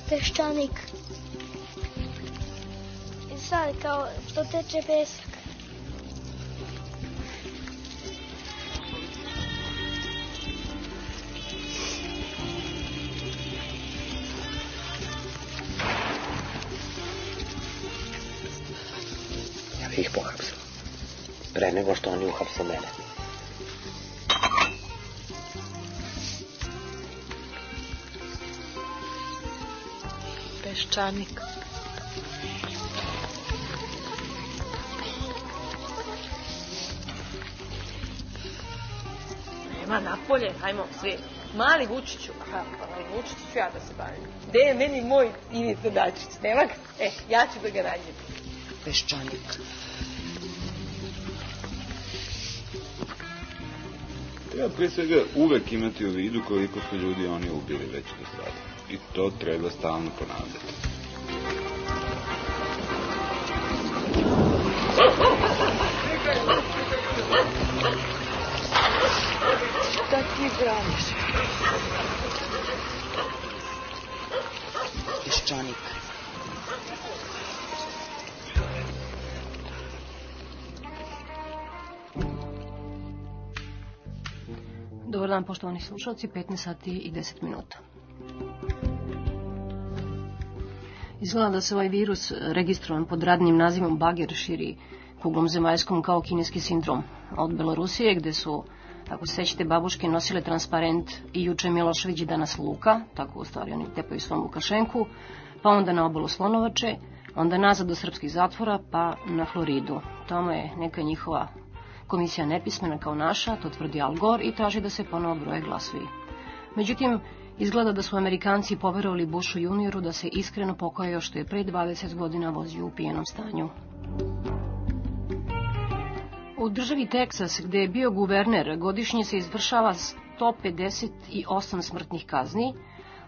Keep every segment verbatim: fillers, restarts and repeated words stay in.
peščanik. I sad kao što teče pesak. Ja bih ih pohapsila. Pre nego što oni uhapse mene. Peščanik. Nema napolje, hajmo svi. Mali Vučiću, aha, Vučiću ću ja da se bavim. Gde je meni moj Ivica Dačić? Nema ga? E, ja ću da ga nađem. Peščanik. Treba prije svega uvek imati u vidu koliko su ljudi oni ubili već do sada. I to treba stalno ponavljati. Šta ti braniš? Peščanik. Dobar dan, poštovani slušalci, petnaest sati i deset minuta. Izgleda da se ovaj virus, registrovan pod radnim nazivom Bager, širi kuglom zemaljskom kao kineski sindrom. Od Belorusije, gde su, ako se sećate, babuške nosile transparent i juče Milošević i danas Luka, tako u stvari oni tepaju svom Lukašenku, pa onda na obalu Slonovače, onda nazad do srpskih zatvora, pa na Floridu. Tamo je neka njihova komisija nepismena kao naša, to tvrdi Al Gore i traži da se ponovo broje glasovi. Međutim, izgleda da su Amerikanci poverovali Bushu junioru da se iskreno pokajao što je pre dvadeset godina vozio u pijenom stanju. U državi Teksas, gde je bio guverner, godišnje se izvršava sto pedeset osam smrtnih kazni.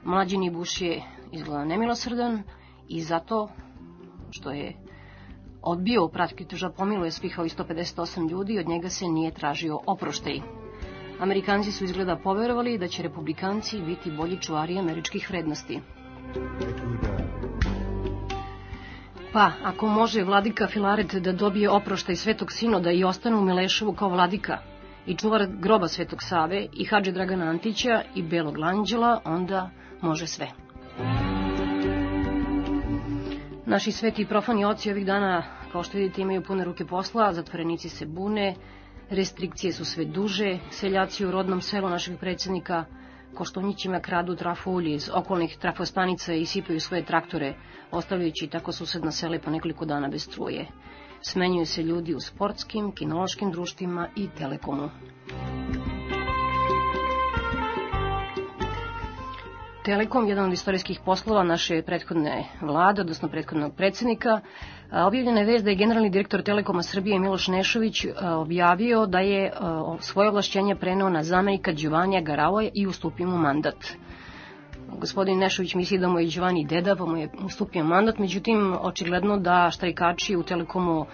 Mlađeni Bush je izgleda nemilosrdan i zato što je odbio praktično da pomiluje svih ovih sto pedeset osam ljudi i od njega se nije tražio oproštaj. Amerikanci su izgleda poverovali da će republikanci biti bolji čuvari američkih vrednosti. Pa, ako može vladika Filaret da dobije oproštaj Svetog Sinoda i ostane u Mileševu kao vladika i čuvar groba Svetog Save i Hadže Dragana Antića i Belog Anđela, onda može sve. Naši sveti i profani oci ovih dana, kao što vidite, imaju pune ruke posla, zatvorenici se bune, restrikcije su sve duže, seljaci u rodnom selu našeg predsjednika Koštunićima kradu trafolje iz okolnih trafostanica i sipaju svoje traktore, ostavljajući tako susedna sele po nekoliko dana bez struje. Smenjuju se ljudi u sportskim, kinološkim društvima i Telekomu. Telekom, jedan od istorijskih poslova naše prethodne vlade, odnosno prethodnog predsjednika, objavljena je vest da je generalni direktor Telekoma Srbije Miloš Nešović objavio da je svoje ovlašćenje preneo na zamenika Đovanija Garavoja i ustupio mu mandat. Gospodin Nešović misli da mu je Đovani deda, pa mu je ustupio mandat, međutim, očigledno da štrajkači u Telekomu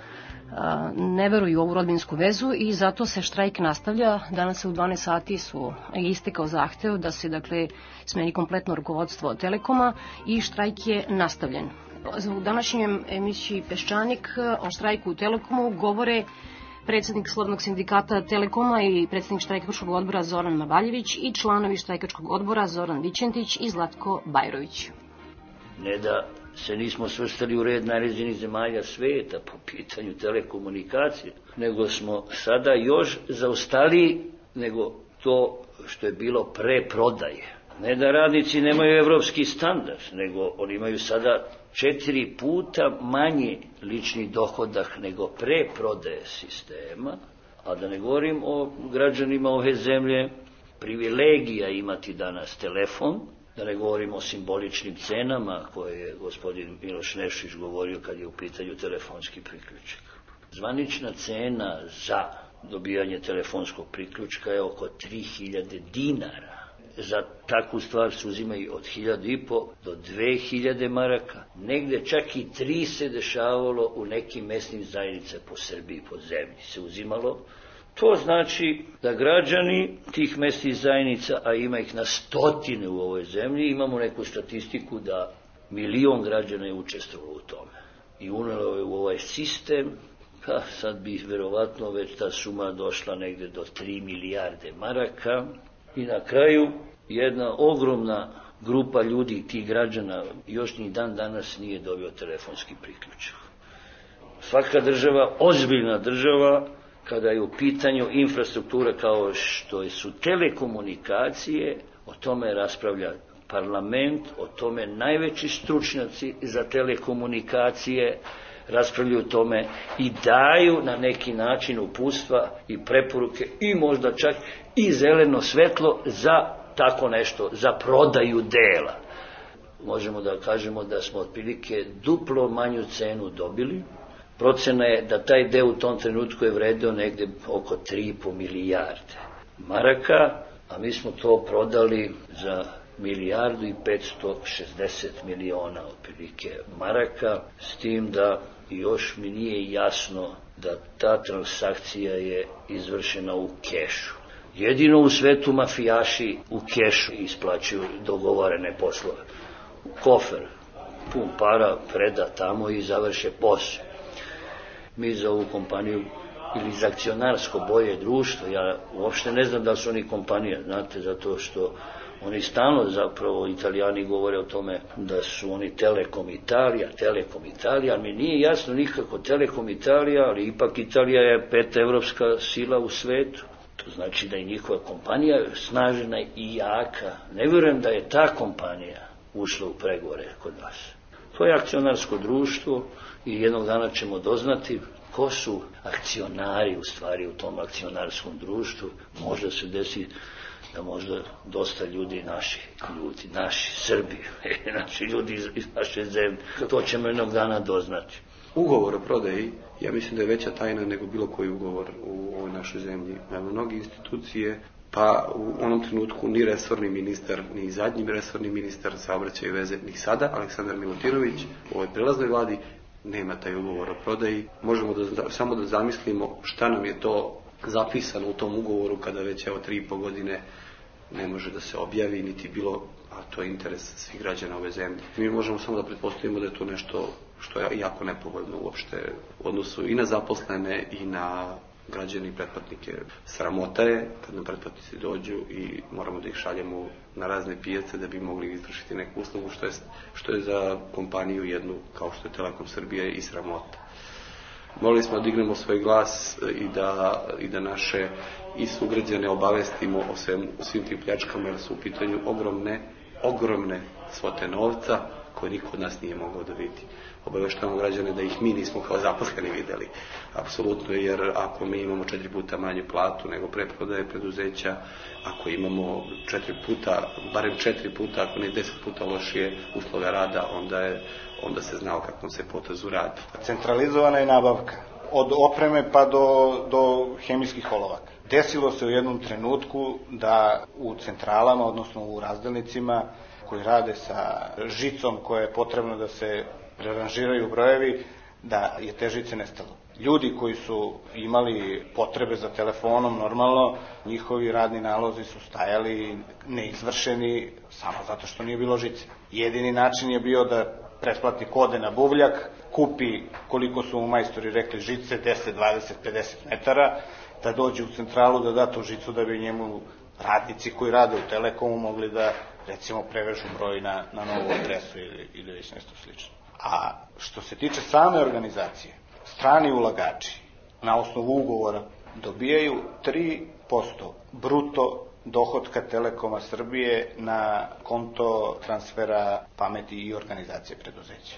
ne veruju u ovu rodbinsku vezu i zato se štrajk nastavlja. Danas u dvanaest sati su istekao zahtev da se, dakle, smeni kompletno rukovodstvo Telekoma i štrajk je nastavljen. U današnjem emisiji Peščanik o štrajku u Telekomu govore predsjednik Slobodnog sindikata Telekoma i predsjednik štrajkačkog odbora Zoran Mavaljević i članovi štrajkačkog odbora Zoran Vičentić i Zlatko Bajrović. Ne da se nismo svrstali u red najređenih zemalja sveta po pitanju telekomunikacije, nego smo sada još zaostali nego to što je bilo pre prodaje. Ne da radnici nemaju evropski standard, nego oni imaju sada četiri puta manje lični dohodak nego pre prodaje sistema, a da ne govorim o građanima ove zemlje, privilegija imati danas telefon, da ne govorimo o simboličnim cenama koje je gospodin Miloš Nešić govorio kad je u pitanju telefonski priključak. Zvanična cena za dobijanje telefonskog priključka je oko tri hiljade dinara. Za takvu stvar se uzimaju od hiljadu i po do dve hiljade maraka. Negde čak i tri se dešavalo u nekim mesnim zajednice po Srbiji, po zemlji se uzimalo. To znači da građani tih mesnih zajednica, a ima ih na stotine u ovoj zemlji, imamo neku statistiku da Milion građana je učestvovalo u tome i unelo je u ovaj sistem. Ha, sad bi verovatno već ta suma došla negde do tri milijarde maraka i na kraju jedna ogromna grupa ljudi, tih građana, još ni dan danas nije dobio telefonski priključak. Svaka država, ozbiljna država, kada je u pitanju infrastruktura kao što su telekomunikacije, o tome raspravlja parlament, o tome najveći stručnjaci za telekomunikacije raspravljaju o tome i daju na neki način uputstva i preporuke i možda čak i zeleno svetlo za tako nešto, za prodaju dela. Možemo da kažemo da smo otprilike duplo manju cenu dobili. Procena je da taj deo u tom trenutku je vredeo negde oko tri i po milijarde maraka, a mi smo to prodali za milijardu i petsto šezdeset miliona otprilike maraka, s tim da još mi nije jasno da ta transakcija je izvršena u kešu. Jedino u svetu mafijaši u kešu isplaćuju dogovorene poslove. Kofer, pun para, preda tamo i završe posao. Mi za ovu kompaniju ili za akcionarsko bolje društvo, ja uopšte ne znam da su oni kompanija, znate, zato što oni stalno zapravo, Italijani govore o tome da su oni Telekom Italija, Telekom Italija, ali mi nije jasno nikako Telekom Italija, ali ipak Italija je peta evropska sila u svetu. To znači da je njihova kompanija snažena i jaka. Ne vjerujem da je ta kompanija ušla u pregovore kod nas. To je akcionarsko društvo i jednog dana ćemo doznati ko su akcionari u stvari u tom akcionarskom društvu. Možda se desi da možda dosta ljudi, naši ljudi, naši Srbi, naši ljudi iz, iz naše zemlje, to ćemo jednog dana doznati. Ugovor o prodaji, ja mislim da je veća tajna nego bilo koji ugovor u ovoj našoj zemlji. Mnogi institucije, pa u onom trenutku ni resorni ministar, ni zadnji resorni ministar saobraćaja i veze, ni sada, Aleksandar Milutinović, u ovoj prelaznoj vladi, nema taj ugovor o prodaji. Možemo da, samo da zamislimo šta nam je to zapisano u tom ugovoru kada već evo tri i po godine ne može da se objavi, niti bilo, a to je interes svih građana ove zemlje. Mi možemo samo da pretpostavimo da je to nešto što je jako nepovoljno uopšte u odnosu i na zaposlene i na građane i pretplatnike. Sramota je kad nam pretplatnici dođu i moramo da ih šaljemo na razne pijace da bi mogli izvršiti neku uslugu, što je, što je za kompaniju jednu kao što je Telekom Srbije i sramota. Morali smo da dignemo svoj glas i da, i da naše i sugrađane obavestimo o, svem, o svim tim pljačkama, jer su u pitanju ogromne, ogromne svote novca koje niko od nas nije mogao da vidi. Obaveštavamo građane da ih mi nismo kao zaposleni videli. Apsolutno, jer ako mi imamo četiri puta manju platu nego preprodaje preduzeća, ako imamo četiri puta, barem četiri puta, ako ne deset puta lošije uslove rada, onda, je, onda se zna o kakvom se potezu radi. Centralizovana je nabavka. Od opreme pa do, do hemijskih olovaka. Desilo se u jednom trenutku da u centralama, odnosno u razdelnicima koji rade sa žicom koja je potrebno da se preranžiraju brojevi, da je te žice nestalo. Ljudi koji su imali potrebe za telefonom, normalno, njihovi radni nalozi su stajali neizvršeni samo zato što nije bilo žice. Jedini način je bio da pretplatnik ode na buvljak, kupi koliko su mu majstori rekli žice, deset, dvadeset, pedeset metara, da dođe u centralu da da tu žicu da bi njemu radnici koji rade u Telekomu mogli da recimo prevežu broj na, na novu adresu ili, ili već nešto slično. A što se tiče same organizacije, strani ulagači na osnovu ugovora dobijaju tri posto bruto dohotka Telekoma Srbije na konto transfera pameti i organizacije preduzeća.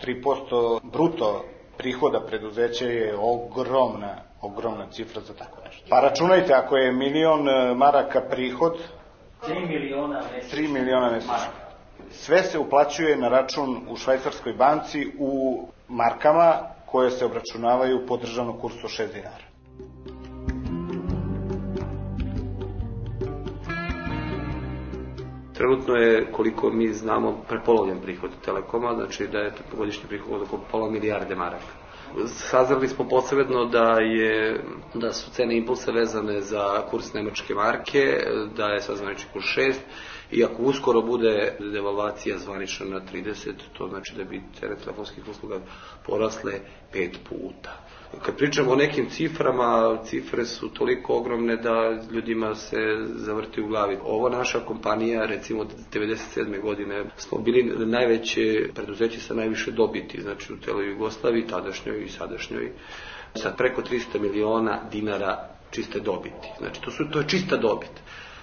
tri posto bruto prihoda preduzeća je ogromna, ogromna cifra za tako nešto. Pa računajte, ako je milion maraka prihod, tri miliona mesečno. tri miliona mesečno. Sve se uplaćuje na račun u švajcarskoj banci u markama koje se obračunavaju po državnom kursu šest dinara. Trenutno je, koliko mi znamo, prepolovljen prihod Telekoma, znači da je godišnji prihod oko pola milijarde maraka. Saznali smo posebno da je da su cene impulsa vezane za kurs nemačke marke, da je sad zvanični kurs šest, i ako uskoro bude devalvacija zvanična na trideset, to znači da bi cene telefonskih usluga porasle pet puta. Kad pričamo o nekim ciframa, cifre su toliko ogromne da ljudima se zavrti u glavi. Ovo naša kompanija, recimo devedeset sedme godine, smo bili najveće preduzeće sa najviše dobiti, znači u celoj Jugoslaviji, tadašnjoj i sadašnjoj, sa preko trista miliona dinara čiste dobiti. Znači to, su, to je čista dobit.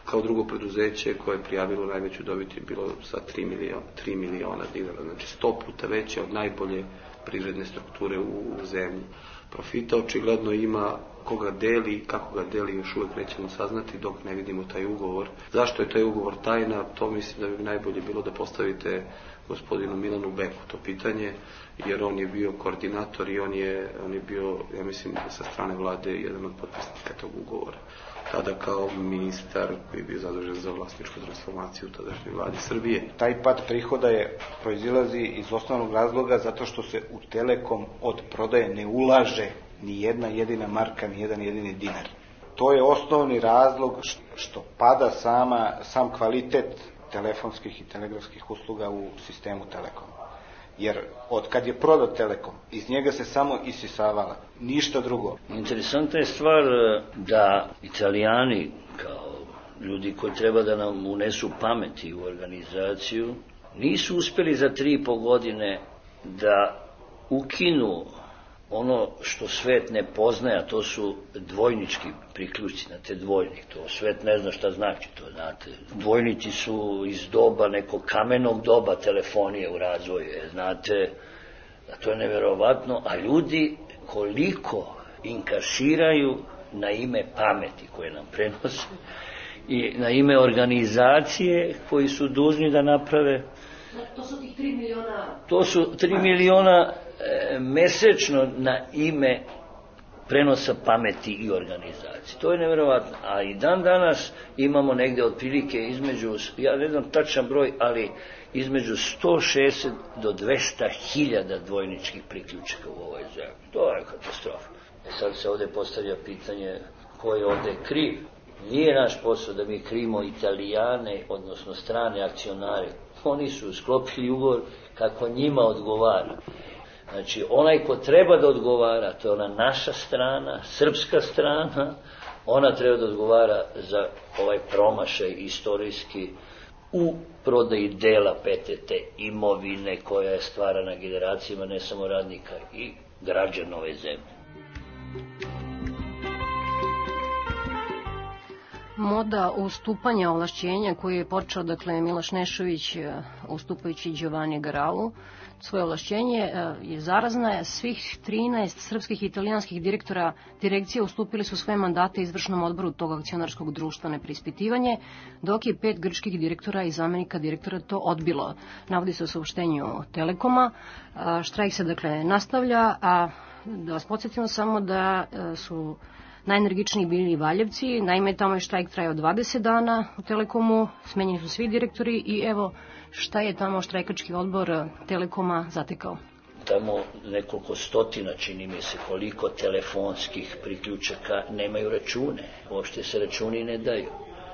Kao drugo preduzeće koje je prijavilo najveću dobit je bilo sa tri miliona dinara, znači sto puta veće od najbolje privredne strukture u zemlji. Profita očigledno ima, koga deli i kako ga deli još uvek nećemo saznati dok ne vidimo taj ugovor. Zašto je taj ugovor tajna, to mislim da bi najbolje bilo da postavite gospodinu Milanu Beku to pitanje, jer on je bio koordinator i on je, on je bio, ja mislim, sa strane vlade jedan od potpisnika tog ugovora. Tada kao ministar koji je bio zadužen za vlasničku transformaciju u tadašnjoj vladi Srbije. Taj pad prihoda je proizilazi iz osnovnog razloga zato što se u Telekom od prodaje ne ulaže ni jedna jedina marka, ni jedan jedini dinar. To je osnovni razlog što pada sama, sam kvalitet telefonskih i telegrafskih usluga u sistemu Telekoma. Jer od kad je prodat Telekom, iz njega se samo isisavala, ništa drugo. Interesantna je stvar da Italijani, kao ljudi koji treba da nam unesu pameti u organizaciju, nisu uspeli za tri i po godine da ukinu ono što svet ne poznaje, a to su dvojnički priključci, znate, dvojnik, to svet ne zna šta znači, to znate. Dvojnici su iz doba, nekog kamenog doba telefonije u razvoju, znate, to je neverovatno, a ljudi koliko inkasiraju na ime pameti koje nam prenose i na ime organizacije koji su dužni da naprave. To su tih tri miliona... To su tri miliona e, mesečno na ime prenosa pameti i organizacije. To je nevjerovatno. A i dan danas imamo negde otprilike između, ja ne znam tačan broj, ali između sto šezdeset do dvesta hiljada dvojničkih priključaka u ovoj zemlji. To je katastrofa. E sad se ovde postavlja pitanje ko je ovde kriv. Nije naš posao da mi krivimo Italijane, odnosno strane akcionare. Oni su sklopili ugovor kako njima odgovara. Znači, onaj ko treba da odgovara, to je ona naša strana, srpska strana, ona treba da odgovara za ovaj promašaj istorijski u prodaji dela P T T, imovine koja je stvarana generacijama, ne samo radnika i građana ove zemlje. Moda ustupanja ovlašćenja koju je počeo, dakle, Miloš Nešović ustupajući Giovanni Garalu, svoje ovlašćenje je zarazna. Svih trinaest srpskih i italijanskih direktora direkcije ustupili su svoje mandate izvršnom odboru tog akcionarskog društva na preispitivanje, dok je pet grčkih direktora i zamenika direktora to odbilo. Navodi se u saopštenju Telekoma. Štrajk se, dakle, nastavlja, a da vas podsjetimo samo da su najenergičniji bili Valjevci, naime tamo je štrajk trajao dvadeset dana u Telekomu, smenjeni su svi direktori i evo šta je tamo štrajkački odbor Telekoma zatekao. Tamo nekoliko stotina, čini mi se, koliko telefonskih priključaka nemaju račune, uopšte se računi ne daju.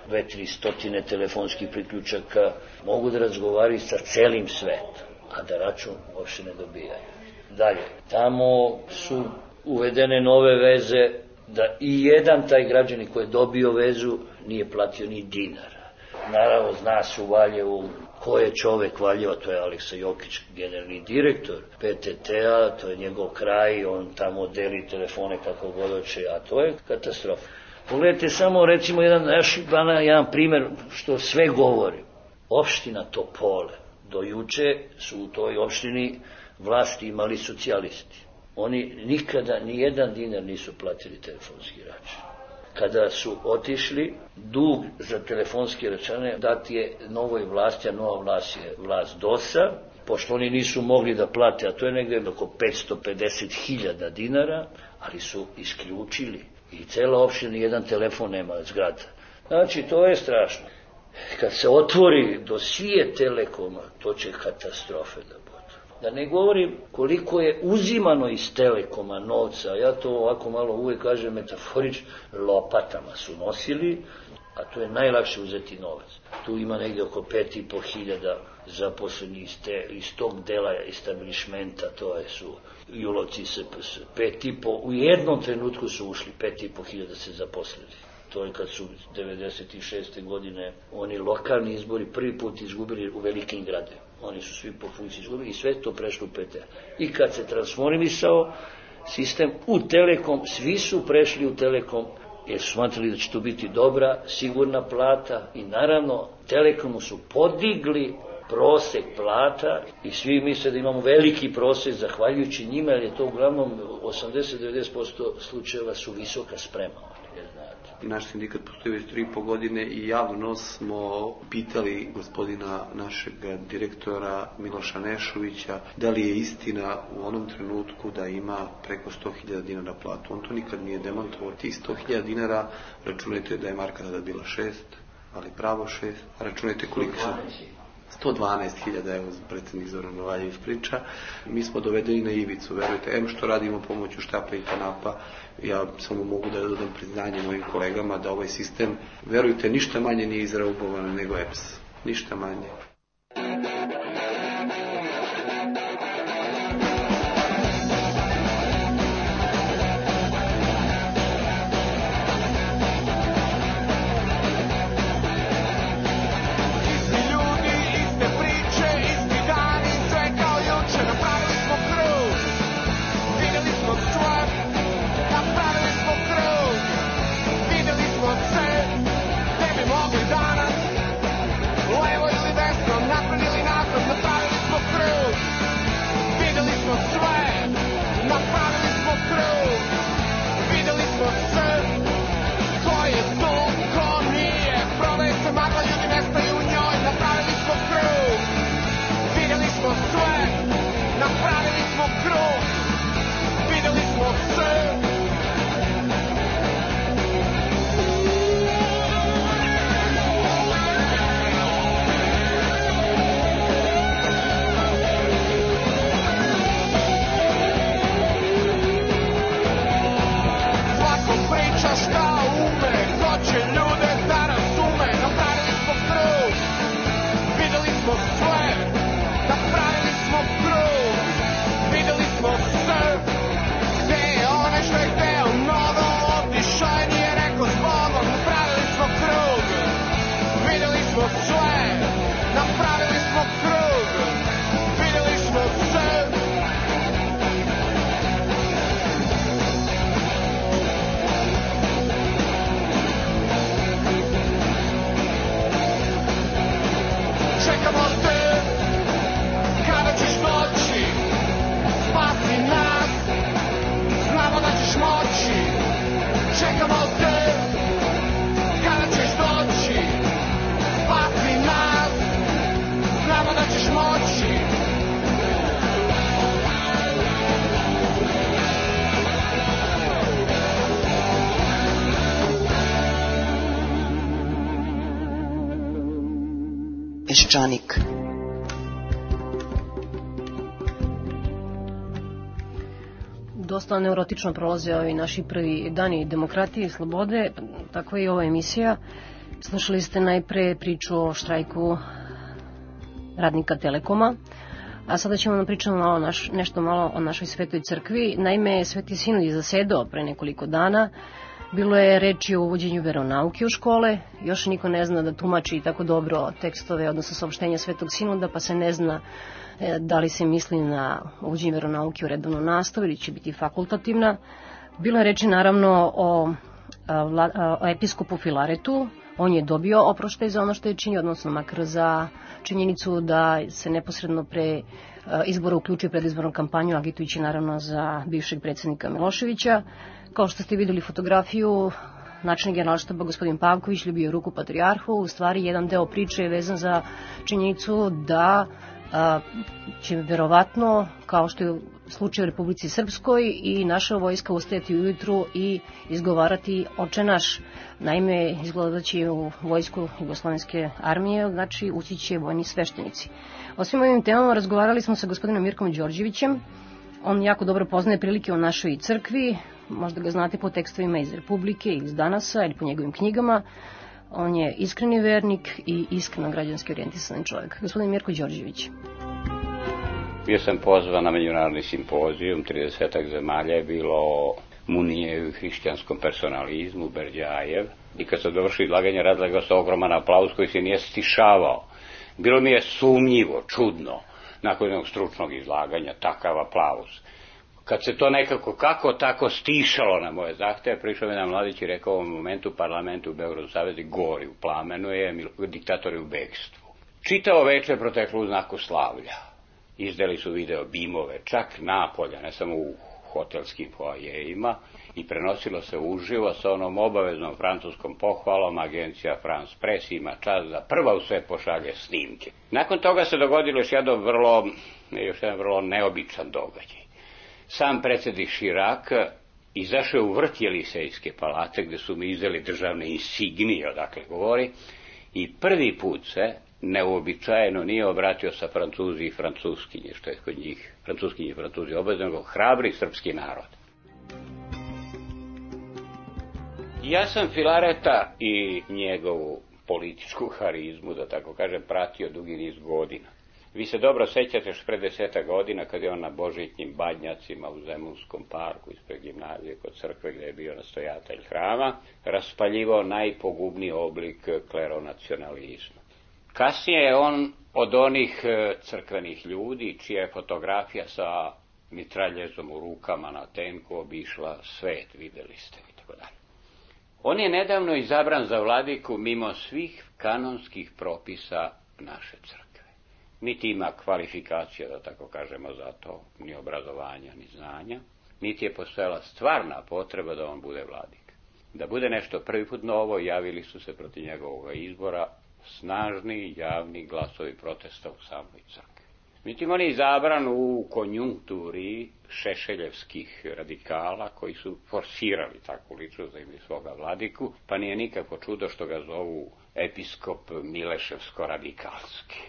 Dve, tri stotine telefonskih priključaka mogu da razgovaraju sa celim svetom, a da račun uopšte ne dobijaju. Dalje, tamo su uvedene nove veze da i jedan taj građanin koji je dobio vezu nije platio ni dinara. Naravno, zna se u Valjevu ko je čovek Valjeva, to je Aleksa Jokić, generalni direktor P T T-a, to je njegov kraj, on tamo deli telefone kako god hoće, a to je katastrofa. Pogledajte samo, recimo, jedan, jedan primer što sve govori. Opština Topole, do juče su u toj opštini vlasti imali socijalisti. Oni nikada ni jedan dinar nisu platili telefonski račun. Kada su otišli, dug za telefonske račune dati je novoj vlasti, a nova vlast je vlast D O S-a, pošto oni nisu mogli da plate, a to je negde oko petsto pedeset hiljada dinara, ali su isključili. I cela opština jedan telefon nema zgrada. Znači, to je strašno. Kad se otvori dosije Telekoma, to će katastrofe da bude. Da ne govorim koliko je uzimano iz Telekoma novca, ja to ovako malo uvek kažem metaforično, lopatama su nosili, a to je najlakše uzeti novac. Tu ima negde oko pet i po hiljada zaposleni iz, te, iz tog dela establishmenta, to je su Julovci S P S. Pet i po, u jednom trenutku su ušli, pet i po hiljada se zaposlili. To je kad su devedeset šeste godine oni lokalni izbori prvi put izgubili u velikim gradima. Oni su svi po funkciji izgubili i sve to prešlo u P T A. I kad se transformisao sistem u Telekom, svi su prešli u Telekom jer su smatrali da će to biti dobra, sigurna plata i naravno Telekomu su podigli prosek plata i svi misle da imamo veliki prosek zahvaljujući njima, jer je to uglavnom osamdeset do devedeset posto slučajeva su visoka sprema. Naš sindikat postoji već tri i po godine i javno smo pitali gospodina našeg direktora Miloša Nešovića da li je istina u onom trenutku da ima preko sto hiljada dinara platu. On to nikad nije demantovao. Tih sto hiljada dinara, računajte da je marka tada bila šest, ali pravo šest, a računajte koliko su... sto dvanaest hiljada, evo predsjednik Zoran Novaljević priča, mi smo dovedeni na ivicu, verujte, em što radimo pomoću štapa i kanapa, ja samo mogu da dodam priznanje mojim kolegama da ovaj sistem, verujte, ništa manje nije izraubovan nego E P S, ništa manje. Peščanik. Dosta neurotično prolaze ovi naši prvi dani demokratije i slobode, tako je i ova emisija. Slušali ste najpre priču o štrajku radnika Telekoma, a sada ćemo da pričamo malo naš, nešto malo o našoj Svetoj crkvi. Naime, Sveti Sinod je zasedao pre nekoliko dana. Bilo je reči o uvođenju veronauke u škole, još niko ne zna da tumači tako dobro tekstove, odnosno saopštenja Svetog Sinoda, pa se ne zna da li se misli na uvođenje veronauke u redovnu nastavu ili će biti fakultativna. Bilo je reči naravno o, o episkopu Filaretu, on je dobio oproštaj za ono što je činio, odnosno makar za činjenicu da se neposredno pre izbora uključuje predizbornu kampanju, agitujući naravno za bivšeg predsjednika Miloševića. Kao što ste videli fotografiju, načelnik Generalštaba gospodin Pavković ljubio ruku patrijarhu. U stvari jedan deo priče je vezan za činjenicu da a, će verovatno, kao što je u slučaju u Republici Srpskoj, i naša vojska ustajati ujutru i izgovarati Oče naš. Naime, izgleda da će u vojsku Jugoslovenske armije, znači ući će vojni sveštenici. O svim ovim temama razgovarali smo sa gospodinom Mirkom Đorđevićem. On jako dobro poznaje prilike u našoj crkvi, možda ga znate po tekstovima iz Republike ili iz Danasa ili po njegovim knjigama. On je iskreni vernik i iskreno građanski orijentisan čovjek. Gospodin Mirko Đorđević. Bio sam pozvan na međunarodni simpozijum, tridesetak zemalja je bilo Munijev i hrišćanskom personalizmu, Berdjajev. I kad sam dovršio izlaganje, razlegao se ogroman aplauz koji se nije stišavao. Bilo mi je sumnjivo, čudno, nakon jednog stručnog izlaganja, takav aplauz. Kad se to nekako kako tako stišalo na moje zahteve, prišao mi jedan mladić i rekao u ovom momentu parlamentu u Beogradu Savezi gori u plamenu je, diktatori u bekstvu. Čitavo večer proteklo u znaku slavlja. Izdali su video bimove, čak napolja, ne samo u hotelskim foajejima, i prenosilo se uživo sa onom obaveznom francuskom pohvalom. Agencija France Press ima čast da prva u sve pošalje snimke. Nakon toga se dogodilo još jedan vrlo, još jedan vrlo neobičan događaj. Sam predsjednik Chirac izašao u vrt Jelisejske palate, gde su mi izdali državne insignije, odakle govori, i prvi put se neuobičajeno nije obratio sa Francuzi i Francuskinje, što je kod njih Francuskinje i Francuzi obavezno, nego hrabri srpski narod. Ja sam Filareta i njegovu političku harizmu, da tako kažem, pratio dugi niz godina. Vi se dobro sećate još pre deseta godina kad je on na Božićnim badnjacima u Zemunskom parku ispred gimnazije kod crkve gde je bio nastojatelj hrama raspaljivao najpogubniji oblik kleronacionalizma. Kasnije je on od onih crkvenih ljudi čija je fotografija sa mitraljezom u rukama na tenku obišla svet, videli ste i tako dalje. On je nedavno izabran za vladiku mimo svih kanonskih propisa naše crkve. Niti ima kvalifikacija, da tako kažemo, za to, ni obrazovanja, ni znanja, niti je postojala stvarna potreba da on bude vladik. Da bude nešto prvi put novo, javili su se protiv njegovog izbora snažni javni glasovi protesta u samoj crkvi. Međutim, on je izabran u konjunkturi šešeljevskih radikala koji su forsirali takvu ličnost da imaju svoga vladiku, pa nije nikako čudo što ga zovu episkop Mileševsko-radikalski.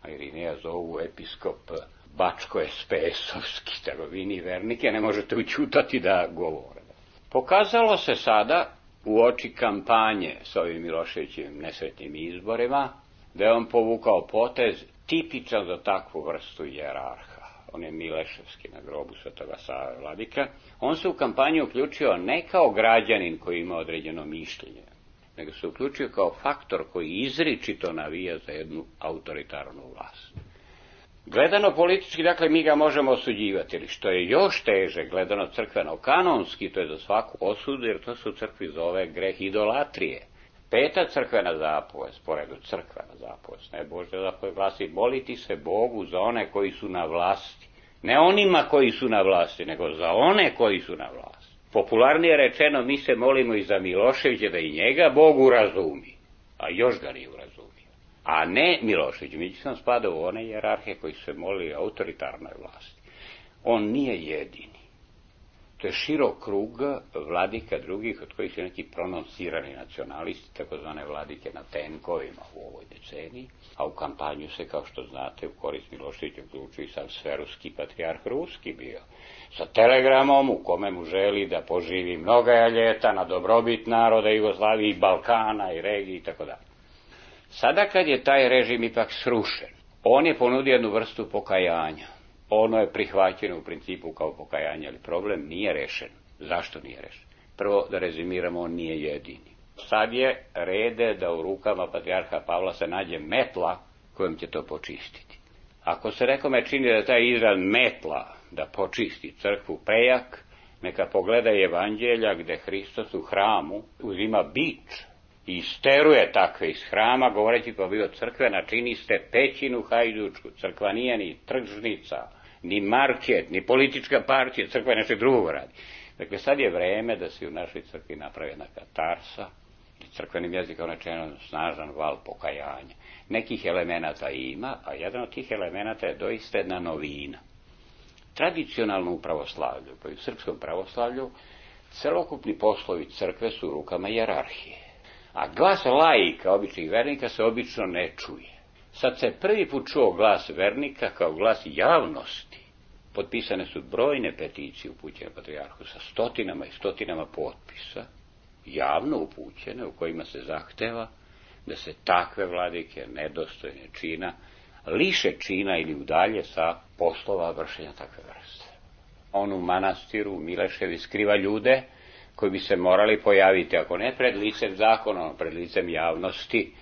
A Irineja zovu episkop Bačko-es pe esovski, tako vi ni vernike ne možete učutati da govore. Pokazalo se sada u oči kampanje s ovim Miloševićevim nesretnim izborima da je on povukao potez tipičan za takvu vrstu jerarha. On je Mileševski na grobu Svetoga Save vladika. On se u kampanju uključio ne kao građanin koji ima određeno mišljenje, nego se uključio kao faktor koji izričito navija za jednu autoritarnu vlast. Gledano politički, dakle, mi ga možemo osuđivati, ili što je još teže, gledano crkveno-kanonski, to je za svaku osudu, jer to se u crkvi zove greh idolatrije. Peta crkvena zapovest, poredu crkvena zapovest, ne Božja zapovest glasi, moliti se Bogu za one koji su na vlasti. Ne onima koji su na vlasti, nego za one koji su na vlasti. Popularnije rečeno, mi se molimo i za Miloševića da i njega Bog urazumi, a još ga nije urazumio. A ne Milošević, mi sam spadao u one jerarhe koji se moli autoritarnoj vlasti. On nije jedini. To je širok krug vladika drugih, od kojih su neki prononcirani nacionalisti, takozvane vladike na tenkovima u ovoj deceniji, a u kampanju se, kao što znate, u korist Miloševića uključio i sam sveruski patrijarh ruski bio, sa telegramom u kome mu želi da poživi mnoga ljeta na dobrobit naroda Jugoslavije i Balkana i regiji i tako dalje. Sada kad je taj režim ipak srušen, on je ponudio jednu vrstu pokajanja. Ono je prihvaćeno u principu kao pokajanje, ali problem nije rešen. Zašto nije rešen? Prvo, da rezimiramo, on nije jedini. Sad je rede da u rukama patrijarha Pavla se nađe metla kojom će to počistiti. Ako se nekome čini da taj izraz metla da počisti crkvu prejak, neka pogleda evanđelja gde Hristos u hramu uzima bič i isteruje takve iz hrama, govoreći pa bio crkvena, čini ste pećinu hajdučku, crkva nije ni tržnica, ni market, ni politička partija, crkva je nešto drugo radi. Dakle, sad je vreme da se u našoj crkvi napravi jedna katarsa, crkvenim jezikom rečeno, snažan val pokajanja. Nekih elemenata ima, a jedan od tih elemenata je doista jedna novina. Tradicionalno u pravoslavlju, pa i u srpskom pravoslavlju, celokupni poslovi crkve su u rukama hijerarhije. A glas laika, običnih vernika, se obično ne čuje. Sad se prvi put čuo glas vernika kao glas javnosti. Potpisane su brojne peticije upućene patrijarhu sa stotinama i stotinama potpisa, javno upućene, u kojima se zahteva da se takve vladike, nedostojne čina, liše čina ili udalje sa poslova vršenja takve vrste. On u manastiru Mileševi skriva ljude koji bi se morali pojaviti, ako ne pred licem zakona, pred licem javnosti.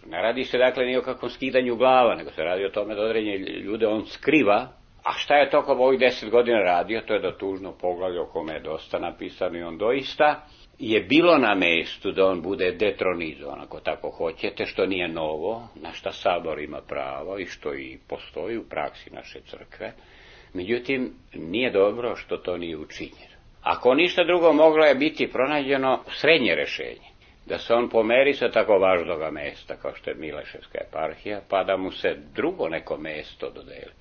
Ne radi se dakle ni o kakvom skidanju glava, nego se radi o tome da određene ljude on skriva. A šta je tokom ovih deset godina radio, to je da tužno poglavlje o kome je dosta napisano i on doista je bilo na mestu da on bude detronizovan, ako tako hoćete, što nije novo, na šta Sabor ima pravo i što i postoji u praksi naše crkve. Međutim, nije dobro što to nije učinjeno. Ako ništa drugo, moglo je biti pronađeno srednje rešenje, da se on pomeri sa tako važnoga mesta kao što je Mileševska eparhija, pa da mu se drugo neko mesto dodeli.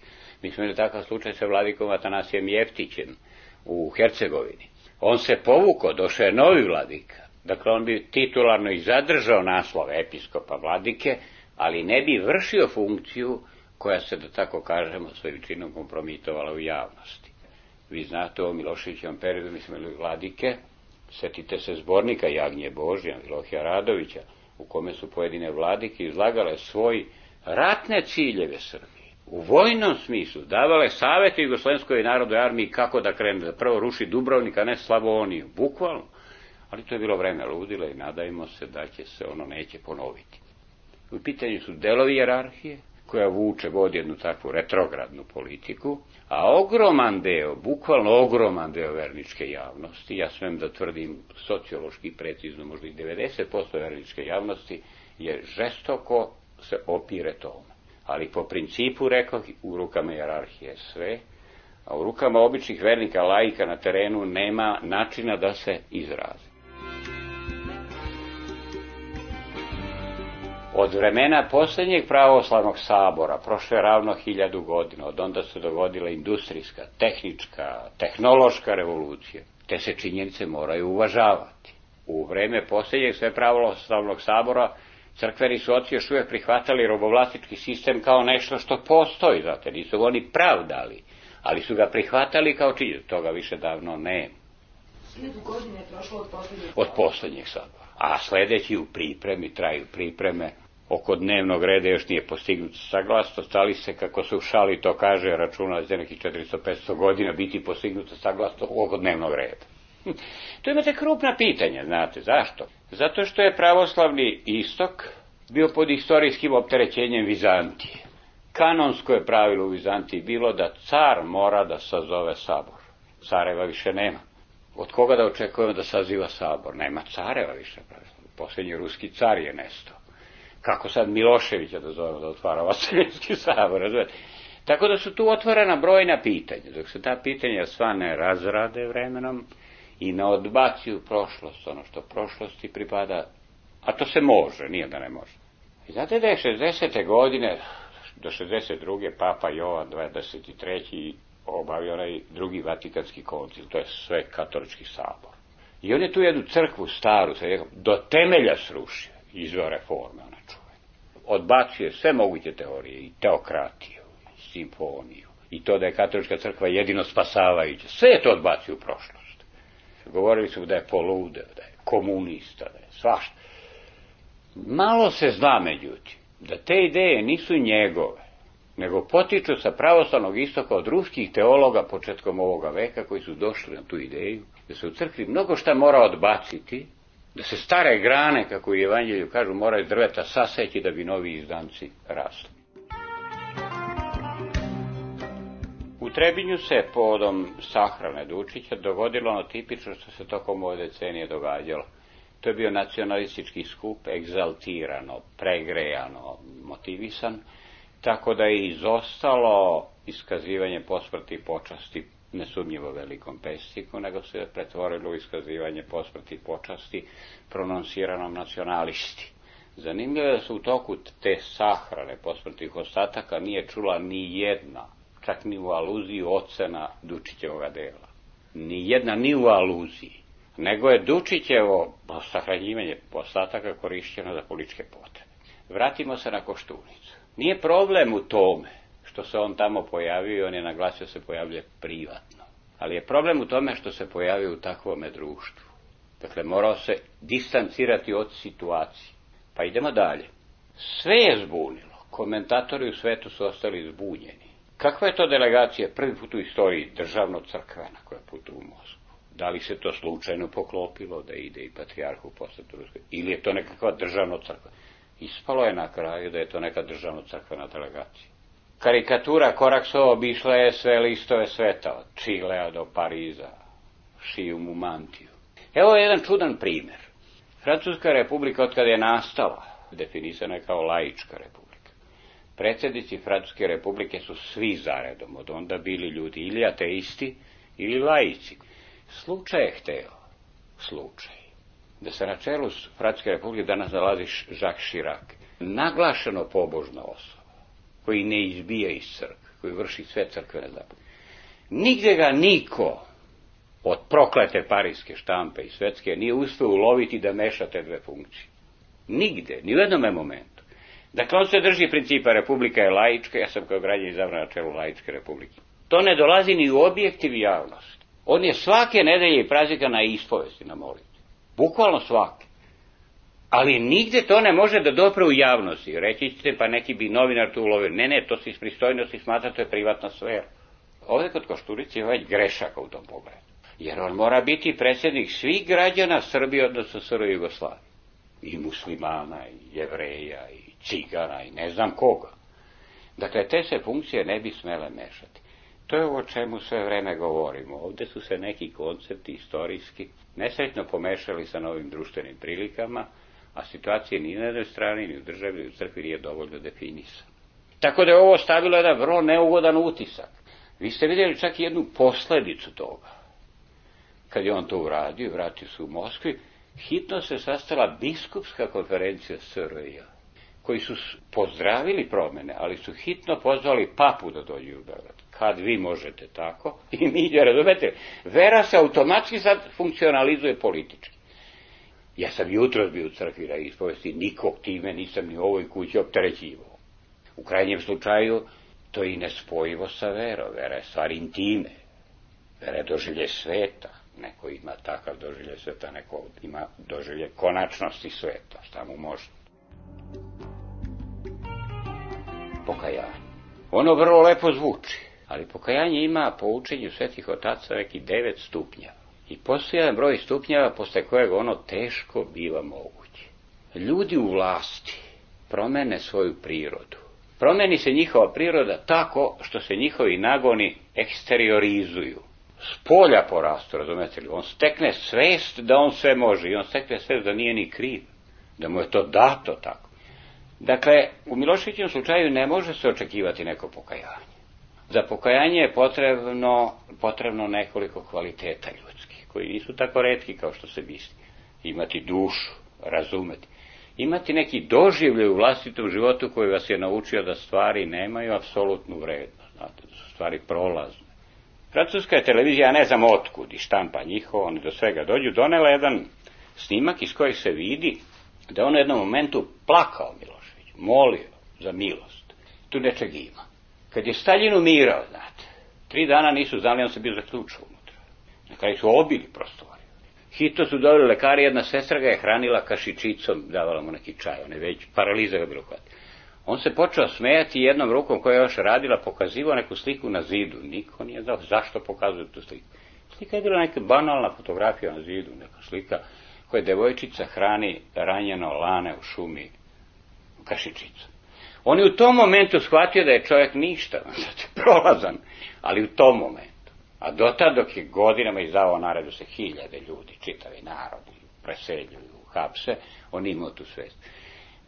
Mi smo imali takav slučaj sa vladikom Atanasijem Jeftićem u Hercegovini. On se povukao, došao je novi vladika. Dakle, on bi titularno i zadržao naslov episkopa vladike, ali ne bi vršio funkciju koja se, da tako kažemo, svojim činom kompromitovala u javnosti. Vi znate, o Miloševićevom periodu mi smo imali vladike, setite se zbornika Jagnje Božja, Milohija Radovića, u kome su pojedine vladike izlagale svoj ratne ciljeve Srbije. U vojnom smislu davale savete Jugoslovenskoj narodnoj armiji kako da krene, da prvo ruši Dubrovnik, a ne Slavoniju, bukvalno. Ali to je bilo vreme ludila i nadajmo se da će se ono neće ponoviti. U pitanju su delovi hijerarhije, koja vuče, vodi jednu takvu retrogradnu politiku, a ogroman deo, bukvalno ogroman deo verničke javnosti, ja smem da tvrdim sociološki precizno, možda i devedeset posto verničke javnosti, je žestoko se opire tome. Ali po principu, rekao, u rukama hijerarhije sve, a u rukama običnih vernika, laika na terenu nema načina da se izrazi. Od vremena posljednjeg pravoslavnog sabora, prošlo je ravno hiljadu godina, od onda se dogodila industrijska, tehnička, tehnološka revolucija. Te se činjenice moraju uvažavati. U vreme posljednjeg sve pravoslavnog sabora crkveni su oci još uvijek prihvatali robovlastički sistem kao nešto što postoji, znate, nisu oni pravdali, ali su ga prihvatali kao činjenicu, toga više davno nema. Hiljadu godina je prošlo od posljednjeg Od posljednjeg sabora. A sledeći u pripremi, traju pripreme, oko dnevnog reda još nije postignut saglasnost, ali se, kako se u šali to kaže, računa za nekih četiristo do petsto godina biti postignuta saglasnost oko dnevnog reda. Tu imate krupna pitanja, znate, zašto? Zato što je pravoslavni istok bio pod istorijskim opterećenjem Vizantije. Kanonsko je pravilo u Vizantiji bilo da car mora da sazove sabor. Careva više nema. Od koga da očekujemo da saziva sabor? Nema careva više. Posljednji ruski car je nestao. Kako sad Miloševića da zovemo da otvara Vaseljenski sabor? Razumete? Tako da su tu otvorena brojna pitanja. Dok se ta pitanja sva ne razrade vremenom i ne odbacuju prošlost, ono što prošlosti pripada, a to se može, nije da ne može. I znate da je šezdesete godine, do šezdeset druge papa Jovan dvadeset treći obavio onaj drugi Vatikanski koncil, to je sve katolički sabor. I on je tu jednu crkvu staru, do temelja srušio, izveo reforme, ona čuvena. Odbacuje sve moguće teorije, i teokratiju, i simfoniju, i to da je katolička crkva jedino spasavajuća. Sve je to odbacio u prošlost. Govorili su da je poludeo, da je komunista, da je svašta. Malo se zna, međutim, da te ideje nisu njegove, nego potiču sa pravoslavnog istoka od ruskih teologa početkom ovoga veka koji su došli na tu ideju, da se u crkvi mnogo šta mora odbaciti, da se stare grane, kako u Evanđelju kažu, moraju drveta saseći da bi novi izdanci rasli. U Trebinju se povodom sahrane Dučića dogodilo ono tipično što se tokom ove decenije događalo. To je bio nacionalistički skup, egzaltirano, pregrejano, motivisan, tako da je izostalo iskazivanje posmrtnih počasti nesumnjivo velikom pesniku, nego se pretvorilo u iskazivanje posmrti počasti prononsiranom nacionalisti. Zanimljivo je da se u toku te sahrane posmrtnih ostataka nije čula ni jedna, čak ni u aluziji, ocena Dučićevog dela. Ni jedna ni u aluziji, nego je Dučićevo sahranjivanje ostataka korišćeno za političke potrebe. Vratimo se na Koštunicu. Nije problem u tome što se on tamo pojavio i on je naglasio se pojavljuje privatno. Ali je problem u tome što se pojavio u takvome društvu. Dakle, morao se distancirati od situacije. Pa idemo dalje. Sve je zbunilo. Komentatori u svetu su ostali zbunjeni. Kakva je to delegacija prvi put u istoriji državno-crkvena koja putuje u Moskvu? Da li se to slučajno poklopilo da ide i patrijarhu posletu Ruskoj? Ili je to nekakva državno-crkvena? Ispalo je na kraju da je to neka državno-crkvena delegacija. Karikatura Koraksova obišla je sve listove sveta, od Čilea do Pariza, šiju mu mantiju. Evo je jedan čudan primjer. Francuska republika, od kada je nastala, definisana je kao laička republika. Predsjednici Francuske republike su svi zaredom od onda bili ljudi ili ateisti ili laici. Slučaj je hteo, slučaj, da se na čelu Francuske republike danas nalazi Jacques Chirac, naglašeno pobožna osoba, koji ne izbija iz crkve, koji vrši sve crkvene zapovedi. Nigde ga niko od proklete parijske štampe i svetske nije uspeo uloviti da meša te dve funkcije. Nigde, ni u jednom momentu. Dakle, on se drži principa republika je laička, ja sam kao građanin izabran na čelu laičke republike. To ne dolazi ni u objektiv javnosti. On je svake nedelje i praznika na ispovesti, na molitvi. Bukvalno svake. Ali nigde to ne može da dopre u javnosti. Reći ćete, pa neki bi novinar tu ulovio. Ne, ne, to se iz pristojnosti smatra, to je privatna sfera. Ovdje kod Koštunice je već grešaka u tom pogledu. Jer on mora biti predsjednik svih građana Srbije, odnosno S R Jugoslavije. I muslimana, i jevreja, i cigana, i ne znam koga. Dakle, te se funkcije ne bi smele mešati. To je o čemu sve vreme govorimo. Ovdje su se neki koncepti istorijski nesretno pomešali sa novim društvenim prilikama, a situacija ni na jednoj strani, ni u državi, ni u crkvi nije dovoljno definisana. Tako da je ovo stavilo jedan vrlo neugodan utisak. Vi ste vidjeli čak i jednu posledicu toga. Kad je on to uradio, vratio se u Moskvi, hitno se sastala biskupska konferencija S R J, koji su pozdravili promjene, ali su hitno pozvali papu da dođe u Beograd. Kad vi možete tako, i mi, razumete, vera se automatski sad funkcionalizuje politički. Ja sam jutros bio u crkvi na ispovesti, nikog time nisam ni u ovoj kući opterećivao. U krajnjem slučaju, to je i nespojivo sa verom. Vera je stvar intime. Vera je doživlje sveta. Neko ima takav doživlje sveta, neko ima doživlje konačnosti sveta. Šta mu može? Pokajanje. Ono vrlo lepo zvuči, ali pokajanje ima po učenju svetih otaca neki devet stupnjeva. I postoji jedan broj stupnjeva posle kojeg ono teško biva moguće. Ljudi u vlasti promene svoju prirodu. Promeni se njihova priroda tako što se njihovi nagoni eksteriorizuju. S polja porastu, razumete li? On stekne svest da on sve može i on stekne svest da nije ni kriv. Da mu je to dato tako. Dakle, u Miloševićevom slučaju ne može se očekivati neko pokajanje. Za pokajanje je potrebno, potrebno nekoliko kvaliteta ljudskih, koji nisu tako retki kao što se misli. Imati dušu, razumeti. Imati neki doživljaj u vlastitom životu koji vas je naučio da stvari nemaju apsolutnu vrednost, znate, da su stvari prolazne. Francuska je televizija, ja ne znam otkud i štampa njihova, oni do svega dođu, donela jedan snimak iz kojeg se vidi da on u jednom momentu plakao Milošević, molio za milost. Tu nečeg ima. Kad je Staljin umirao, znate, tri dana nisu znali, on se bio zaključao unutra. Na kraju su obili prostoriju. Hitno su doveli lekari, jedna sestra ga je hranila kašičicom, davala mu neki čaj, on je već paraliza ga bilo hvati. On se počeo smejati jednom rukom koja je još radila, pokazivao neku sliku na zidu. Niko nije znao zašto pokazuje tu sliku. Slika je bila neka banalna fotografija na zidu, neka slika koja devojčica hrani ranjeno lane u šumi kašičicom. On je u tom momentu shvatio da je čovjek ništa, znači prolazan, ali u tom momentu. A dotad dok je godinama izdavao naredu se hiljade ljudi, čitavi narodi, preseljuju, hapse, on imao tu svest.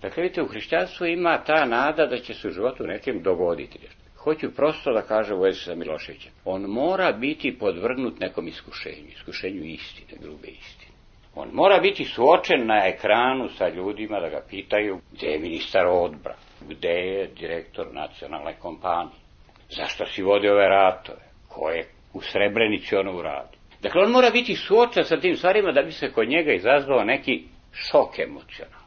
Dakle, vidite, u hrišćanstvu ima ta nada da će se u životu nekim dogoditi. Hoću prosto da kažem u vezi sa Miloševićem. On mora biti podvrgnut nekom iskušenju, iskušenju istine, grube istine. On mora biti suočen na ekranu sa ljudima da ga pitaju gde je ministar odbrane, gde je direktor nacionalne kompanije, zašto si vodi ove ratove, ko je u Srebrenici ono uradi. Dakle, on mora biti suočen sa tim stvarima da bi se kod njega izazvao neki šok emocionalni.